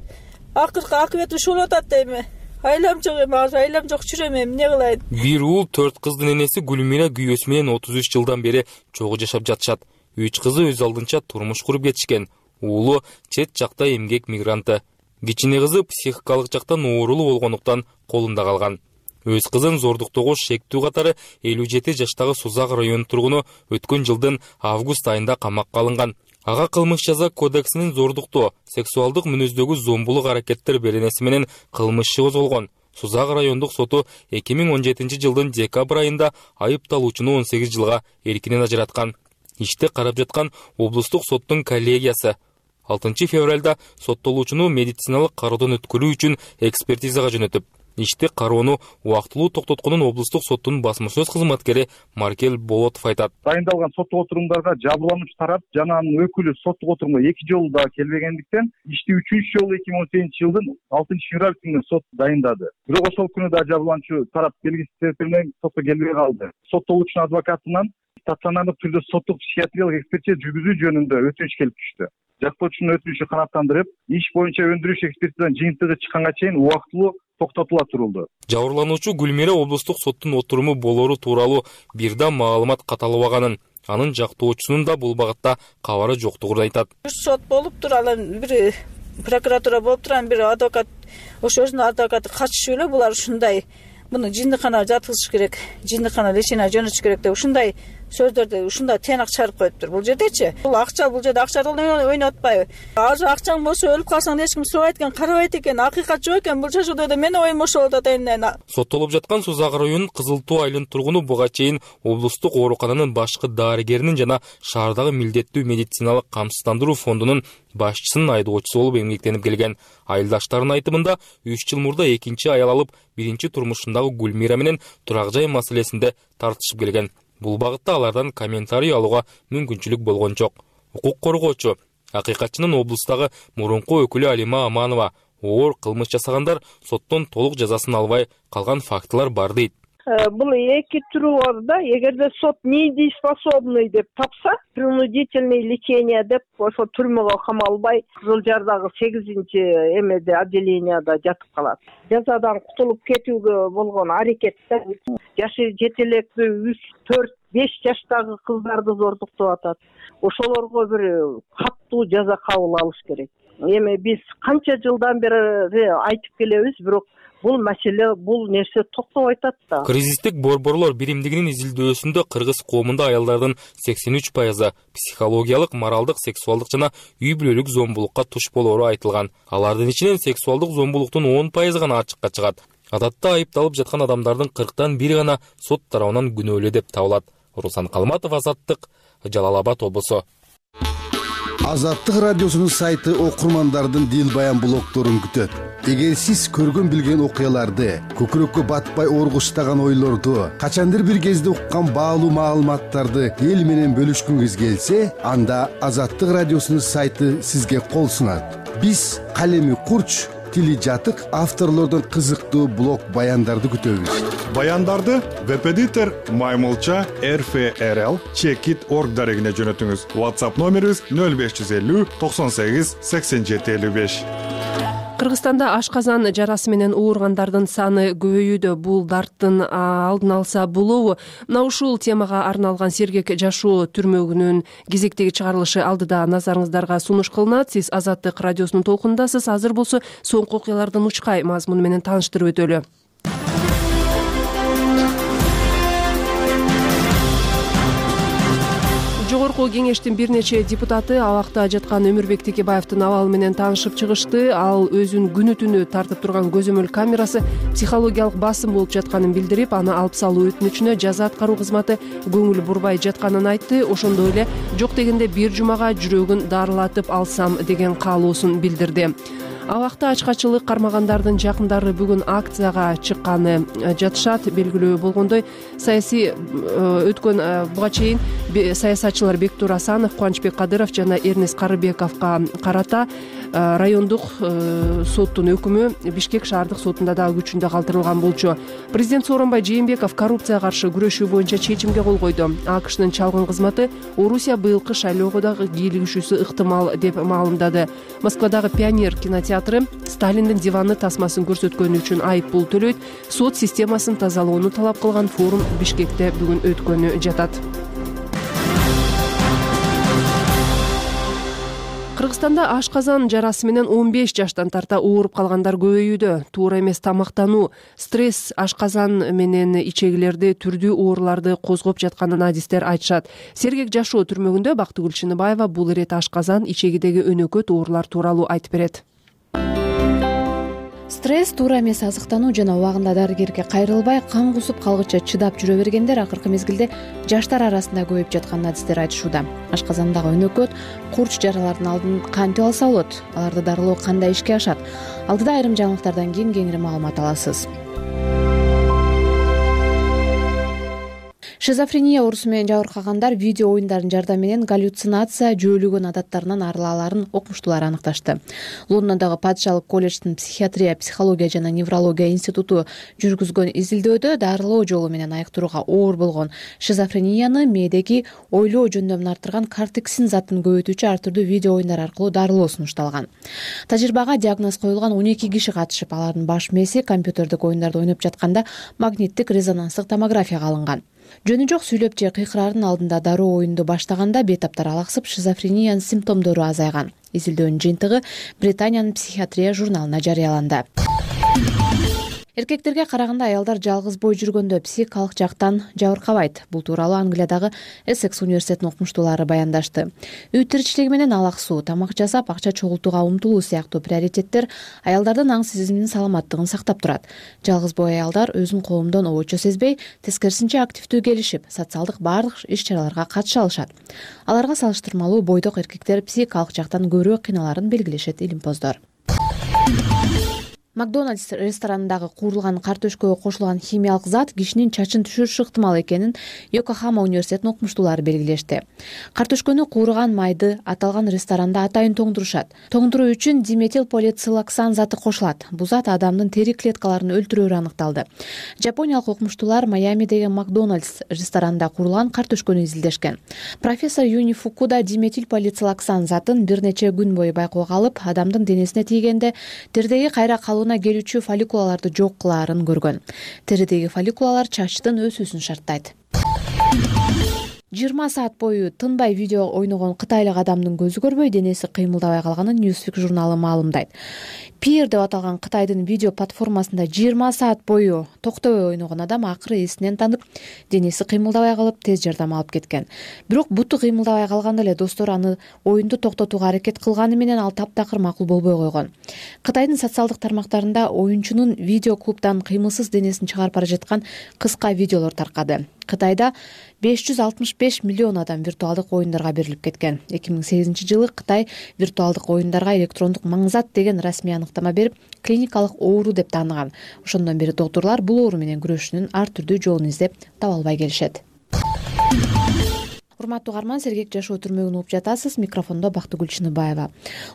Акыркы акыбети ушул болуп атат эми. Айлам жок эми, айлам жок жүрөм эми, эмне кылайын? Бир уул 4 кыздын энеси Гүлмира күйөөсү менен 33 жылдан бери чогуу жашап жатышат. 3 кызы өз алдынча турмуш куруп кетишкен. Уулу чет жакта эмгек мигранты. Кичине кызы психикалык жактан оорулуу болгондуктан колунда калган. Өз кызын зордуктоого шектүү катары 57 жаштагы Сузак районунун тургуну өткөн жылдын август айында камакка алынган. Ага кылмыш жаза кодексинин зордуктоо, сексуалдык мүнөздөгү зомбулук аракеттер беренеси менен кылмыш козголгон. Сузак райондук соту 2017 жылдын декабрь айында айыпталуучуну 18 жылга эркинен ажыраткан. Ишти карап жаткан облустук соттун коллегиясы 6 февралда соттолуучуну медициналык кароодон өткөрүү үчүн экспертизага жөнөтүп, ишти кароону убактылуу токтотконун облустук соттун басма сөз кызматкери Маркел Болотов айтат. Дайындалган соттук отурумдарга жабырлануучу тарап жана анын өкүлү соттук отурумга 2 жолу да келбегендиктен, ишти 3-чү жолу 2018 жылдын 6 февраль күнү сот дайындады. Бирок ошол күнү да жабырлануучу тарап белгисиз себептер менен сотко келбей калды. Соттолуучунун адвокатынан стационардык түрдө соттук психиатриялык экспертиза жүргүзүү жөнүндө өтүнүч келип түштү. Жактоочунун өтүнүчү канааттандырып, иш боюнча өндүрүш экспертизанын жыйынтыгы чыкканга чейин убактылуу токтотула турулду. Жабырлануучу Гүлмира облустук соттун отуруму болору тууралуу бир да маалымат каталабаганын, анын жактоочусунун да бул багытта кабары жоктугун айтат. Сот болуптур, анан бир прокуратура болуптур, анан бир адвокат, ошо өзүнүн адвокаты катышып эле булар ушундай муну жиндиканага жаткызыш керек, жиндикана лечение жөнөтүш керек деп ушундай сөздөрдү ушундай тыянак чыгарып коюптур. Бул жердечи бул акча, бул жерде акча ойнотпайбы? Азыр акчаң болсо өлүп калсаң эч ким сурабайт экен, карабайт экен, акыйкат жок экен. Бул жашоодо да менин оюм ошол болуп атат эми. Соттолуп жаткан Сузак районунун Кызыл Тоо айылынын тургуну буга чейин облустук оорукананын башкы дарыгеринин жана шаардагы милдеттүү медициналык камсыздандыруу фондунун башчысынын айдоочусу болуп эмгектенип келген. Айылдаштарынын айтымында 3 жыл мурда экинчи аял алып, биринчи турмушундагы Гүлмира менен турак жай маселесинде тартышып келген. Бул багытта алардан комментарий алууга мүмкүнчүлүк болгон жок. Укук коргоочу, акыйкатчынын облустагы мурунку өкүлү Алима Аманова оор кылмыш жасагандар соттон толук жазасын албай калган фактылар бар дейт. Бул эки түрү бар да. Эгерде сот недееспособный деп тапса, принудительное лечение деп ошо түрмөгө камалбай Кызыл Жардагы 8-чи эмеде отделенияда жатып калат. Жазадан кутулуп кетүүгө болгон аракетте жашы жетелектүү 3, 4, 5 жаштагы кыздарды зордуктап атат. Ошолорго бир каттуу жаза кабыл алыш керек. эми биз канча жылдан бери айтып келебиз, бирок бул маселе, бул нерсе токтобой атат да. Кризистик борборлор биримдигинин изилдөөсүндө кыргыз коомунда аялдардын 83% психологиялык, моралдык, сексуалдык жана үй бүлөлүк зомбулукка туш болоору айтылган. Алардын ичинен сексуалдык зомбулуктун 10% гана ачыкка чыгат. Адатта айыпталып жаткан адамдардын 40тан 1 гана сот тарабынан күнөөлүү деп табылат. Руслан Калматов, Азаттык, Жалал Абад облусу. Азаттык радиосунун сайты окурмандардын дил баян блогторун күтөт. Эгер сиз көргөн билген окуяларды, көкүрөккө батпай оргуштаган ойлорду, качандыр бир кезде уккан баалуу маалыматтарды эл менен бөлүшкүңүз келсе, анда Азаттык радиосунун сайты сизге кол сунат. Биз калеми курч, тили жатык авторлордон кызыктуу блог баяндарды күтөбүз. Баяндарды Вебедитер, Маймылча, RFRL, Checkit.org дарегине жөнөтүңүз. WhatsApp номерибиз 0550 98 87 55. Кыргызстанда ашказан жарасы менен ооругандардын саны көбөйүүдө. Бул дарттын алдын алса болобу? Мына ушул темага арналган сергек жашоо түрмөгүнүн кезектеги чыгарылышы алдыда назарыңыздарга сунуш кылынат. Сиз Азаттык радиосунун толкунундасыз. Азыр болсо соңку окуялардын учкай мазмуну менен тааныштырып өтөлү. Жогорку кеңештин бир нече депутаты абакта жаткан Өмүрбек Текебаевдин абалы менен таанышып чыгышты. Ал өзүнүн күнү түнү тартып турган көзөмөл камерасы психологиялык басым болуп жатканын билдирип, аны алып салуу өтүнүчүнө жаза аткаруу кызматы көңүл бурбай жатканын айтты. Ошондой эле жок дегенде бир жумага жүрөгүн дарылатып алсам деген каалоосун билдирди. Абакта ачкачылык кармагандардын жакындары бүгүн акцияга чыкканы жатышат. Белгилүү болгондой, саясий өткөн буга чейин саясатчылар Бектур Асанов, Кубанычбек Кадыров жана Эрнес Карыбековго карата райондук соттун өкүмү Бишкек шаардык сотунда дагы күчүндө калтырылган болчу. Президент Сооронбай Жээнбеков коррупцияга каршы күрөшүү боюнча чечимге кол койду. АКШнын чалгын кызматы Орусия быйылкы шайлоого дагы кийлигишүүсү ыктымал деп маалымдады. Москвадагы Пионер кинотеатры Сталиндин диваны тасмасын көрсөткөнү үчүн айып пул төлөйт. Сот системасын тазалоону талап кылган форум Бишкекте бүгүн өткөнү жатат. Кыргызстанда ашказан жарасы менен 15 жаштан тарта ооруп калгандар көбөйүүдө. Туура эмес тамактануу, стресс ашказан менен ичегилерди түрдүү ооруларды козгоп жатканын адистер айтышат. Сергек жашоо түрмөгүндө Бактыгүл Чыныбаева бул ирет ашказан, ичегидеги өнөкөт оорулар тууралуу айтып берет. Стресс, туура эмес азыктануу жана убагында дарыгерге кайрылбай, кан кусуп калгыча чыдап жүрө бергендер акыркы мезгилде жаштар арасында көбөйүп жатканын адистер айтышууда. Ашказандагы өнөкөт, курч жаралардын алдын кантип алса болот? Аларды дарылоо кандай ишке ашат? Алдыда айрым жаңылыктардан кийин кеңири маалымат аласыз. Шизофрения оорусу менен жабыркагандар видео оюндардын жардамы менен галлюцинация, жөөлөгөн адаттарынан арыла аларын окумуштуулар аныкташты. Лондондогу Падышалык колледждин психиатрия, психология жана неврология институту жүргүзгөн изилдөөдө дарылоо жолу менен айыктырууга оор болгон шизофренияны мээдеги ойлоо жөндөмүн артырган кортексин затын көбөйтүүчү ар түрдүү видео оюндар аркылуу дарылоо сунушталган. Тажрыйбага диагноз коюлган 12 киши катышып, алардын баш мээси компьютердик оюндарды ойноп жатканда магниттик резонанстык томографияга алынган. Жөнү жок сүйлөп же кыйкырардын алдында дароо оюнду баштаганда бейтаптар алаксып, шизофрениянын симптомдору азайган. Изилдөөнүн жыйынтыгы Британиянын психиатрия журналына жарыяланды. Эркектерге караганда аялдар жалгыз бой жүргөндө психикалык жактан жабыркабайт. Бул тууралуу Англиядагы Эссекс университетинин окумуштуулары баяндашты. Үй тиричилиги менен алаксуу, тамак жасап, акча чогултууга умтулуу сыяктуу приоритеттер аялдардын аң сезиминин саламаттыгын сактап турат. Жалгыз бой аялдар өзүн коомдон обочо сезбей, тескерисинче активдүү келишип, социалдык баардык иш-чараларга катыша алышат. Аларга салыштырмалуу бойдок эркектер психикалык жактан көбүрөөк кыйналарын белгилешет илимпоздор. Макдональдс ресторанындагы куурулган картөшкөгө кошулган химиялык зат кишинин чачын түшүрүшү ыктымал экенин Йокохама университетинин окумуштуулары белгилешти. Картөшкөнү кууруган майды аталган ресторанда атайын тоңдурушат. Тоңдуруу үчүн диметилполицилоксан заты кошулат. Бул зат адамдын тери клеткаларын өлтүрөөрү аныкталды. Жапониялык окумуштуулар Майамидеги Макдональдс ресторанында куурулган картөшкөнү изилдешкен. Профессор Юни Фукуда диметилполицилоксан затын бир нече күн бою байкоого алып, адамдын денесине тийгенде теридеги кайра калуу келүүчү фолликулаларды жок кылаарын көргөн. Теридеги фолликулалар чачтын өсүүсүн шарттайт. 20 саат бою тынбай видео ойногон кытайлык адамдын көзү көрбөй, денеси кыймылдабай калганын Newsweek журналы маалымдайт. Peer деп аталган Кытайдын видео платформасында 20 саат бою токтобой ойногон адам акыры эсинен танып, денеси кыймылдабай калып, тез жардам алып кеткен. Бирок буту кыймылдабай калганда эле достору аны оюнду токтотууга аракет кылганы менен ал таптакыр макул болбой койгон. Кытайдын социалдык тармактарында оюнчунун видео клубдан кыймылсыз денесин чыгарып бара жаткан кыска видеолор таркады. Кытайда 565 миллион адам виртуалдык оюндарга берилип кеткен. 2008-жылы Кытай виртуалдык оюндарга электрондук маңзат деген расмий аныктама берип, клиникалык оору деп тааныган. Ошондон бери доктурлар бул оору менен күрөшүүнүн ар түрдүү жолун издеп таба албай келишет. Урматтуу угарман, сергек жашоо түрмөгүн угуп жатасыз. Микрофондо Бактыгүл Чыныбаева.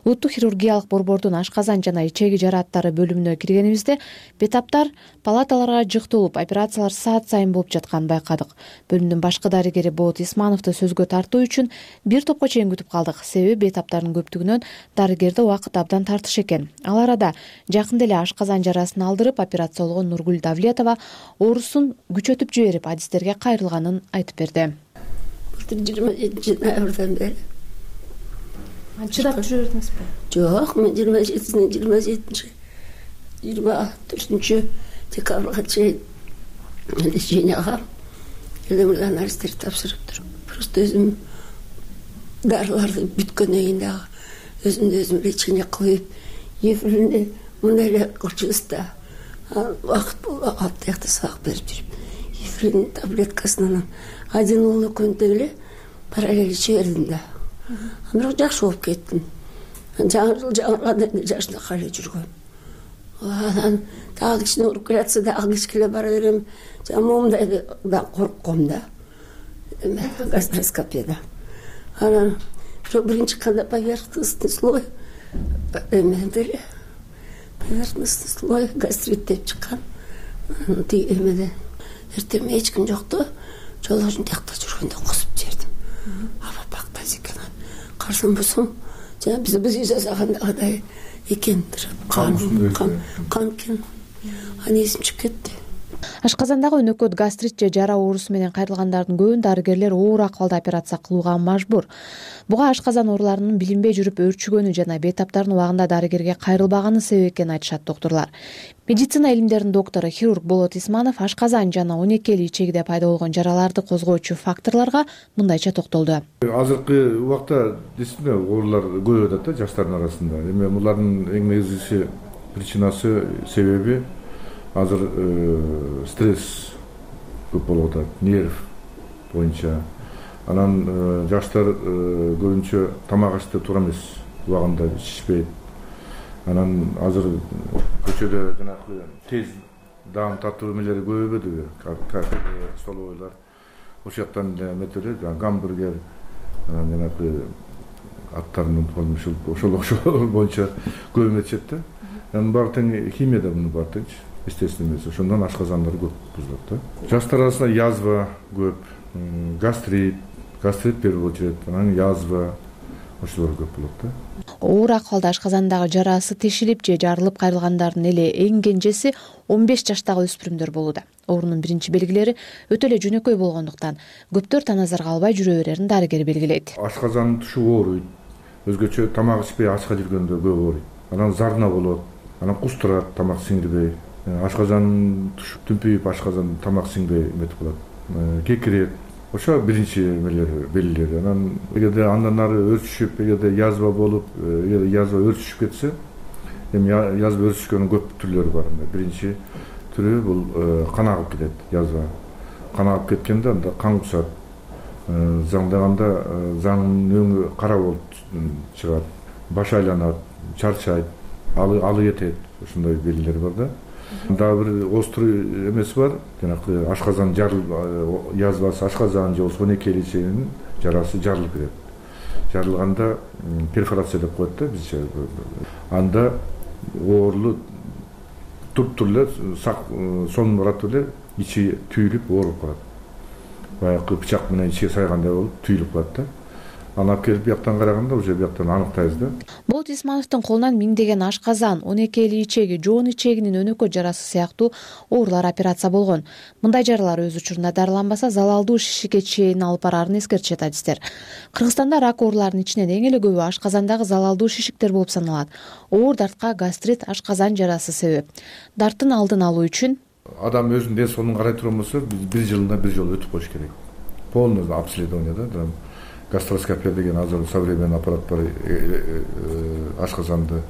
Улуттук хирургиялык борбордун ашказан жана ичеги жарааттары бөлүмүнө киргенибизде бетаптар палаталарга жыктылып, операциялар саат сайын болуп жатканын байкадык. Бөлүмдүн башкы дарыгери Болот Исмановду сөзгө тартуу үчүн бир топко чейин күтүп калдык. Себеби бетаптардын көптүгүнөн дарыгерде убакыт абдан тартыш экен. Ал арада жакында эле ашказан жарасын алдырып, операция болгон Нургүл Давлетова оорусун күчөтүп жиберип, адистерге кайрылганын айтып берди. 27 ноябрдан бери. Чыдап жүрө бердиңизби? Жок, мен 24 декабрга чейин леченияга элемирге анализдерди тапшырып туруп, просто өзүм дарыларды бүткөндөн кийин дагы өзүмдү өзүм лечение кылып, эфиринде мындай эле кылчубуз да, убакыт болуп тиякта сабак берип жүрүп, эфирин таблеткасынан один уулу күндө эле параллель иче бердим да. Бирок жакшы болуп кеттим. Жаңы жыл жаңырганда жашынакай эле жүргөм. Анан дагы кичине ооруп келатса дагы кичкеле бара берем. Моундай да коркком да. Гастроскопияда. Анан биринчи кандай поверхностный слой эмеде поверхностный слой гастрит деп чыккан. Тиги эмеде эртең эч ким жокту. Жолдошум тиякта жүргөндө кусуп жибердим. Аба бактайсыз экен. Карасам болсом, жана биз жасагандагыдай экен. Кан экен. Аны эсим чыгып кетти. Ашказандагы өнөкөт гастрит же жара оорусу менен кайрылгандардын көбүн дарыгерлер оор акыбалда операция кылууга мажбур. Буга ашказан ооруларынын билинбей жүрүп өөрчүгөнү жана бейтаптардын убагында дарыгерге кайрылбаганы себеп экенин айтышат доктурлар. Медицина илимдеринин доктору хирург Болот Исманов ашказан жана 12 ичегиде пайда болгон жараларды козгоочу факторлорго мындайча токтолду. Азыркы убакта действительно оорулар көбөйүп атат да жаштардын арасында. Эми булардын эң негизги причинасы себеби азыр стресс көп болуп атат, нерв боюнча. Анан жаштар көбүнчө тамак ашты туура эмес убагында ичишпейт. Анан азыр көчөдө жанагы тез даам тартуу эмелери көбөйбөдүбү? Кафе, столовойлар. Ошол жактан метелер, гамбургер, анан жанагы аттарын ошол боюнча көбөйүп кетет да. Анан баары тең химияда муну бар теңчи. Естественно эмес. Ошондон ашказандар көп бузулат да. Жаштар арасында язва көп, гастрит первый очередь, анан язва ошолор көп болот да. Оор акыбалда ашказандагы жарасы тешилип же жарылып кайрылгандардын эле эң кенжеси 15 жаштагы өспүрүмдөр болууда. Оорунун биринчи белгилери өтө эле жөнөкөй болгондуктан көптөр таназарга албай жүрө берерин дарыгер белгилейт. Ашказан тушу ооруйт. Өзгөчө тамак ичпей ачка жүргөндө көп ооруйт. Анан зарна болот, анан кустурат, тамак сиңирбей. Ашказан туш түнпүйүп, ашказан тамак сиңбей эметип калат. Кекирет. Ошо биринчи белгилери. Анан эгерде андан ары өрчүшүп, эгерде язва болуп, эгерде язва өрчүшүп кетсе, эми язва өрчүшкөнүн көп түрлөрү бар. Биринчи түрү бул кан агып кетет, язва. Кан агып кеткенде анда кан кусат. Заңдаганда заңдын өңү кара болуп чыгат. Баш айланат, чарчайт, алы кетет. Ушундай белгилер бар да. Дагы бир острый эмеси бар. Жанагы ашказан жарылып, язвасы ашказан же 12 ичегинин жарасы жарылып кетет. Жарылганда перфорация деп коет да бизче. Анда оорулуу туруп эле сонун барат эле ичи түйүлүп ооруп калат. Баягы бычак менен ичиге сайгандай болуп түйүлүп калат да. Аны алып келип бияктан караганда уже бияктан аныктайбыз да. Болот Исмановдун колунан миңдеген ашказан, 12 ичеги, жоон ичегинин өнөкөй жарасы сыяктуу оорулар операция болгон. Мындай жаралар өз учурунда дарыланбаса залалдуу шишикке чейин алып бараарын эскертишет адистер. Кыргызстанда рак ооруларынын ичинен эң эле көбү ашказандагы залалдуу шишиктер болуп саналат. Оор дартка гастрит, ашказан жарасы себеп. Дарттын алдын алуу үчүн адам өзүнүн ден соолугун карай турган болсо, бир жылда бир жолу өтүп коюш керек. Полный обследование да. Гастроскопия деген азыр современный аппарат бар, ашказанды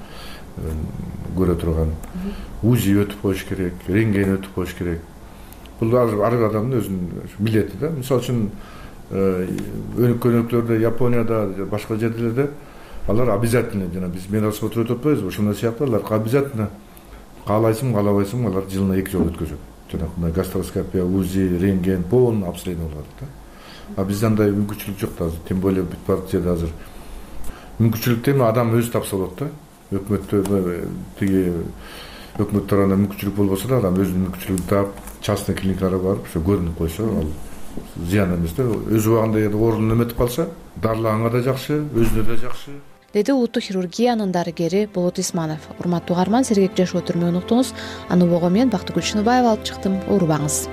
көрө турган. УЗИ өтүп коюш керек, рентген өтүп коюш керек. Бул ар адамдын өзүнүн милдети да. Мисалы үчүн өнөктөрдө, Японияда, башка жерлерде алар обязательно, жана биз медосмотр өтүп атпайбызбы, ошондой сыяктуу алар обязательно каалайсың, каалабайсың, алар жылына 2 жолу өткөзөт. Жанагындай гастроскопия, УЗИ, рентген, полный обследование кылат да. А бизде андай мүмкүнчүлүк жок да азыр, тем более бүт бар жерде азыр. Мүмкүнчүлүктү эми адам өзү тапса болот да. Өкмөт тарабынан мүмкүнчүлүк болбосо да, адам өзүнүн мүмкүнчүлүгүн таап, частный клиникаларга барып, ошо көрүнүп койсо, ал зыян эмес да. Өз убагында оорунун эметип калса, дарылаганга да жакшы, өзүнө да жакшы. Деди улуттук хирургиянын дарыгери Болот Исманов. Урматтуу угарман, Сергек Жашоо түрмөгүн уктуңуз. Аны убого мен Бактыгүл Чыныбаева алып чыктым. Оорубаңыз.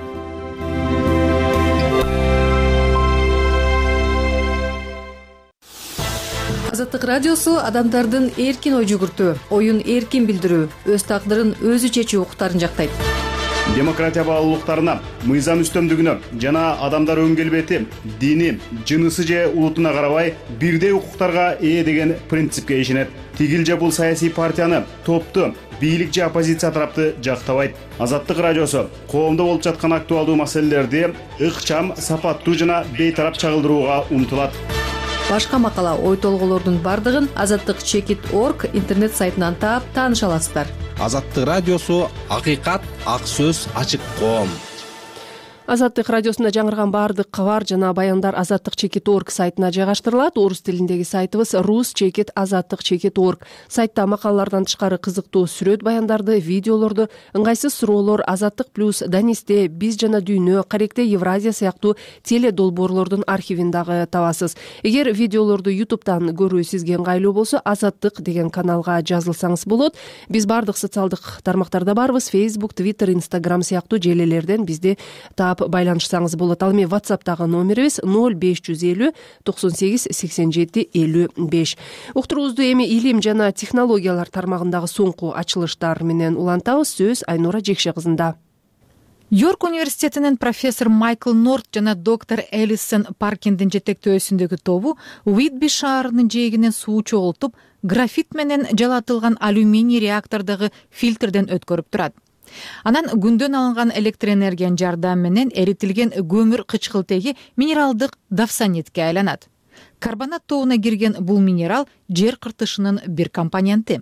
Азаттык радиосу адамдардын эркин ой жүгүртүү, оюн эркин билдирүү, өз тагдырын өзү чечүү укуктарын жактайт. Демократия баалуулуктарына, мыйзам үстөмдүгүнө жана адамдар өн келбети, дини, жынысы же улутуна карабай бирдей укуктарга ээ деген принципке ишенет. Тигил же бул саясий партияны, топту, бийлик же оппозиция тарапты жактабайт. Азаттык радиосу коомдо болуп жаткан актуалдуу маселелерди ыкчам, сапаттуу жана бейтарап чагылдырууга умтулат. Башка макала, ой толголордун бардыгын azattik.org интернет сайтынан таап тааныша аласыздар. Азаттык радиосу акыйкат, ак сөз, ачык коом. Азаттык радиосунда жаңырган баардык кабар жана баяндар azattik.org сайтына жайгаштырылат. Орус тилиндеги сайтыбыз rus.azattik.org. Сайтта макалалардан тышкары кызыктуу сүрөт баяндарды, видеолорду, ыңгайсыз суроолор, Азаттык плюс, Данисте, Биз жана дүйнө, Каректе Евразия сыяктуу теле долбоорлордун архивин дагы табасыз. Эгер видеолорду YouTube'дан көрүү сизге ыңгайлуу болсо, Азаттык деген каналга жазылсаңыз болот. Биз баардык социалдык тармактарда барбыз. Facebook, Twitter, Instagram сыяктуу желелерден бизди байланышсаңыз болот. Ал эми WhatsApp'тагы номерибиз 0550 98 87 55. Уктуруубузду эми илим жана технологиялар тармагындагы соңку ачылыштар менен улантабыз. Сөз Айнура Жекше кызында. Йорк университетинин профессор Майкл Норт жана доктор Элисон Паркиндин жетектөөсүндөгү тобу Уитби шаарынын жээгинен суу чогултуп, графит менен жалатылган алюминий реактордогу фильтрден өткөрүп турат. Анан күндөн алынган электр энергиянын жардамы менен эритилген көмүр кычкылтеги минералдык давсанитке айланат. Карбонат тобуна кирген бул минерал жер кыртышынын бир компоненти.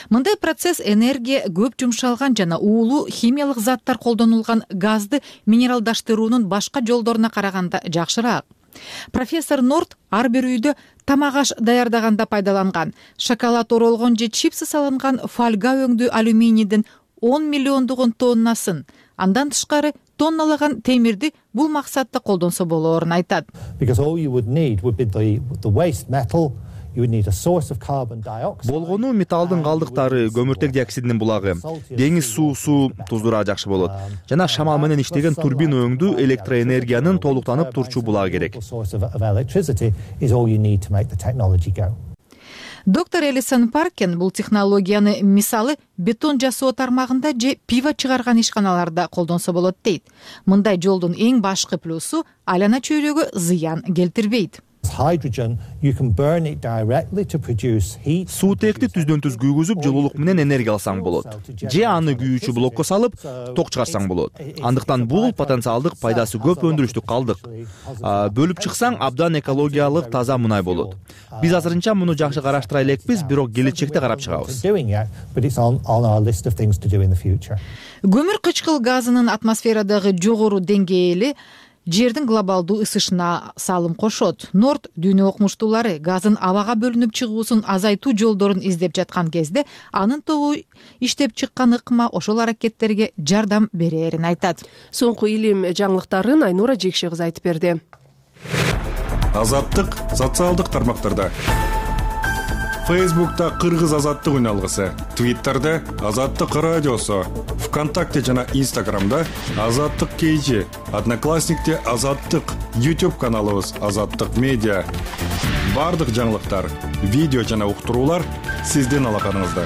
Мындай процесс энергия көп жумшалган жана уулуу химиялык заттар колдонулган газды минералдаштыруунун башка жолдоруна караганда жакшыраак. Профессор Норт ар бир үйдө тамак аш даярдаганда пайдаланган шоколад оролгон же чипсы салынган фольга өңдүү алюминийдин 10 миллиондугун тоннасын, андан тышкары тонналаган темирди бул максатта колдонсо болоорун айтат. Болгону металлдын калдыктары, көмүртек диоксидинин булагы, деңиз суусу, туздураа жакшы болот. Жана шамал менен иштеген турбина өңдүү электроэнергиянын толуктанып турчу булагы керек. Доктор Элисон Паркен бул технологияны мисалы бетон жасоо тармагында же пиво чыгарган ишканаларда колдонсо болот дейт. Мындай жолдун эң башкы плюсу айлана чөйрөгө зыян келтирбейт. Суутекти түздөн түз күйгүзүп, жылуулук менен энергия алсаң болот. Же аны күйүүчү блокко салып, ток чыгарсаң болот. Андыктан бул потенциалдык пайдасы көп өндүрүштүк калдык. Бөлүп чыксаң, абдан экологиялык таза мунай болот. Биз азырынча муну жакшы караштыра элекпиз, бирок келечекте карап чыгабыз. Көмүр кычкыл газынын атмосферадагы жогору деңгээли жердин глобалдуу ысышына салым кошот. Норт дүйнө окумуштуулары газдын абага бөлүнүп чыгуусун азайтуу жолдорун издеп жаткан кезде анын тобу иштеп чыккан ыкма ошол аракеттерге жардам берээрин айтат. Соңку илим жаңылыктарын Айнура Жекше кызы айтып берди. Азаттык социалдык тармактарда. Фейсбукта Кыргыз азаттык үналгысы, Твиттерде Азаттык радиосу, ВКонтакте жана Инстаграмда Азаттык KG, Одноклассникте Азаттык, YouTube каналыбыз Азаттык медиа. Бардык жаңылыктар, видео жана уктуруулар сиздин алаканыңызда.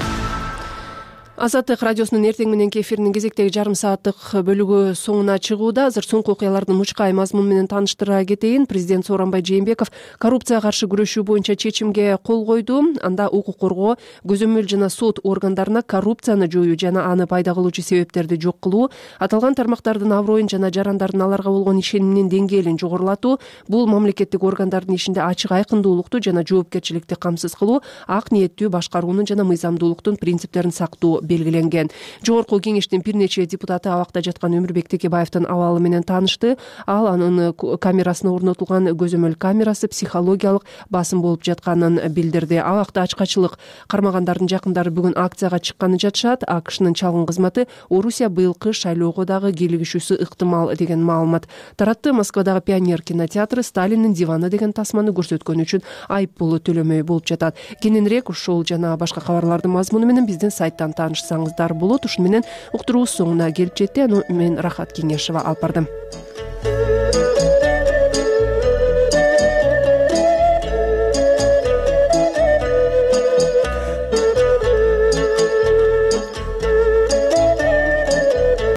Азаттык радиосунун эртең мененки эфиринин кезектеги жарым сааттык бөлүгү соңуна чыгууда. Азыр соңку окуялардын мучкай мазмуну менен тааныштыра кетейин. Президент Сооронбай Жээнбеков коррупцияга каршы күрөшүү боюнча чечимге кол койду. Анда укук коргоо, көзөмөл жана сот органдарына коррупцияны жоюу жана аны пайда кылуучу себептерди жок кылуу, аталган тармактардын аброюн жана жарандардын аларга болгон ишениминин деңгээлин жогорулатуу, бул мамлекеттик органдардын ишинде ачык айкындуулукту жана жоопкерчиликти камсыз кылуу, ак ниеттүү башкаруунун жана мыйзамдуулуктун принциптерин сактоо белгиленген. Жогорку кеңештин бир нече депутаты абакта жаткан Өмүрбек Текебаевдин абалы менен таанышты. Ал анын камерасына орнотулган көзөмөл камерасы психологиялык басым болуп жатканын билдирди. Абакта ачкачылык кармагандардын жакындары бүгүн акцияга чыкканын жатышат. АКШнын чалгын кызматы Орусия быйылкы шайлоого дагы кийлигишүүсү ыктымал деген маалымат таратты. Москвадагы Пионер кинотеатры Сталиндин диваны деген тасманы көрсөткөн үчүн айып пулу төлөмөй болуп жатат. Кененирээк ушул жана башка кабарлардын мазмуну менен биздин сайттан таанышсаңыздар болот. Ушуну менен уктуруубуз соңуна келип жетти. Мен Рахат Кеңешова алып бардым.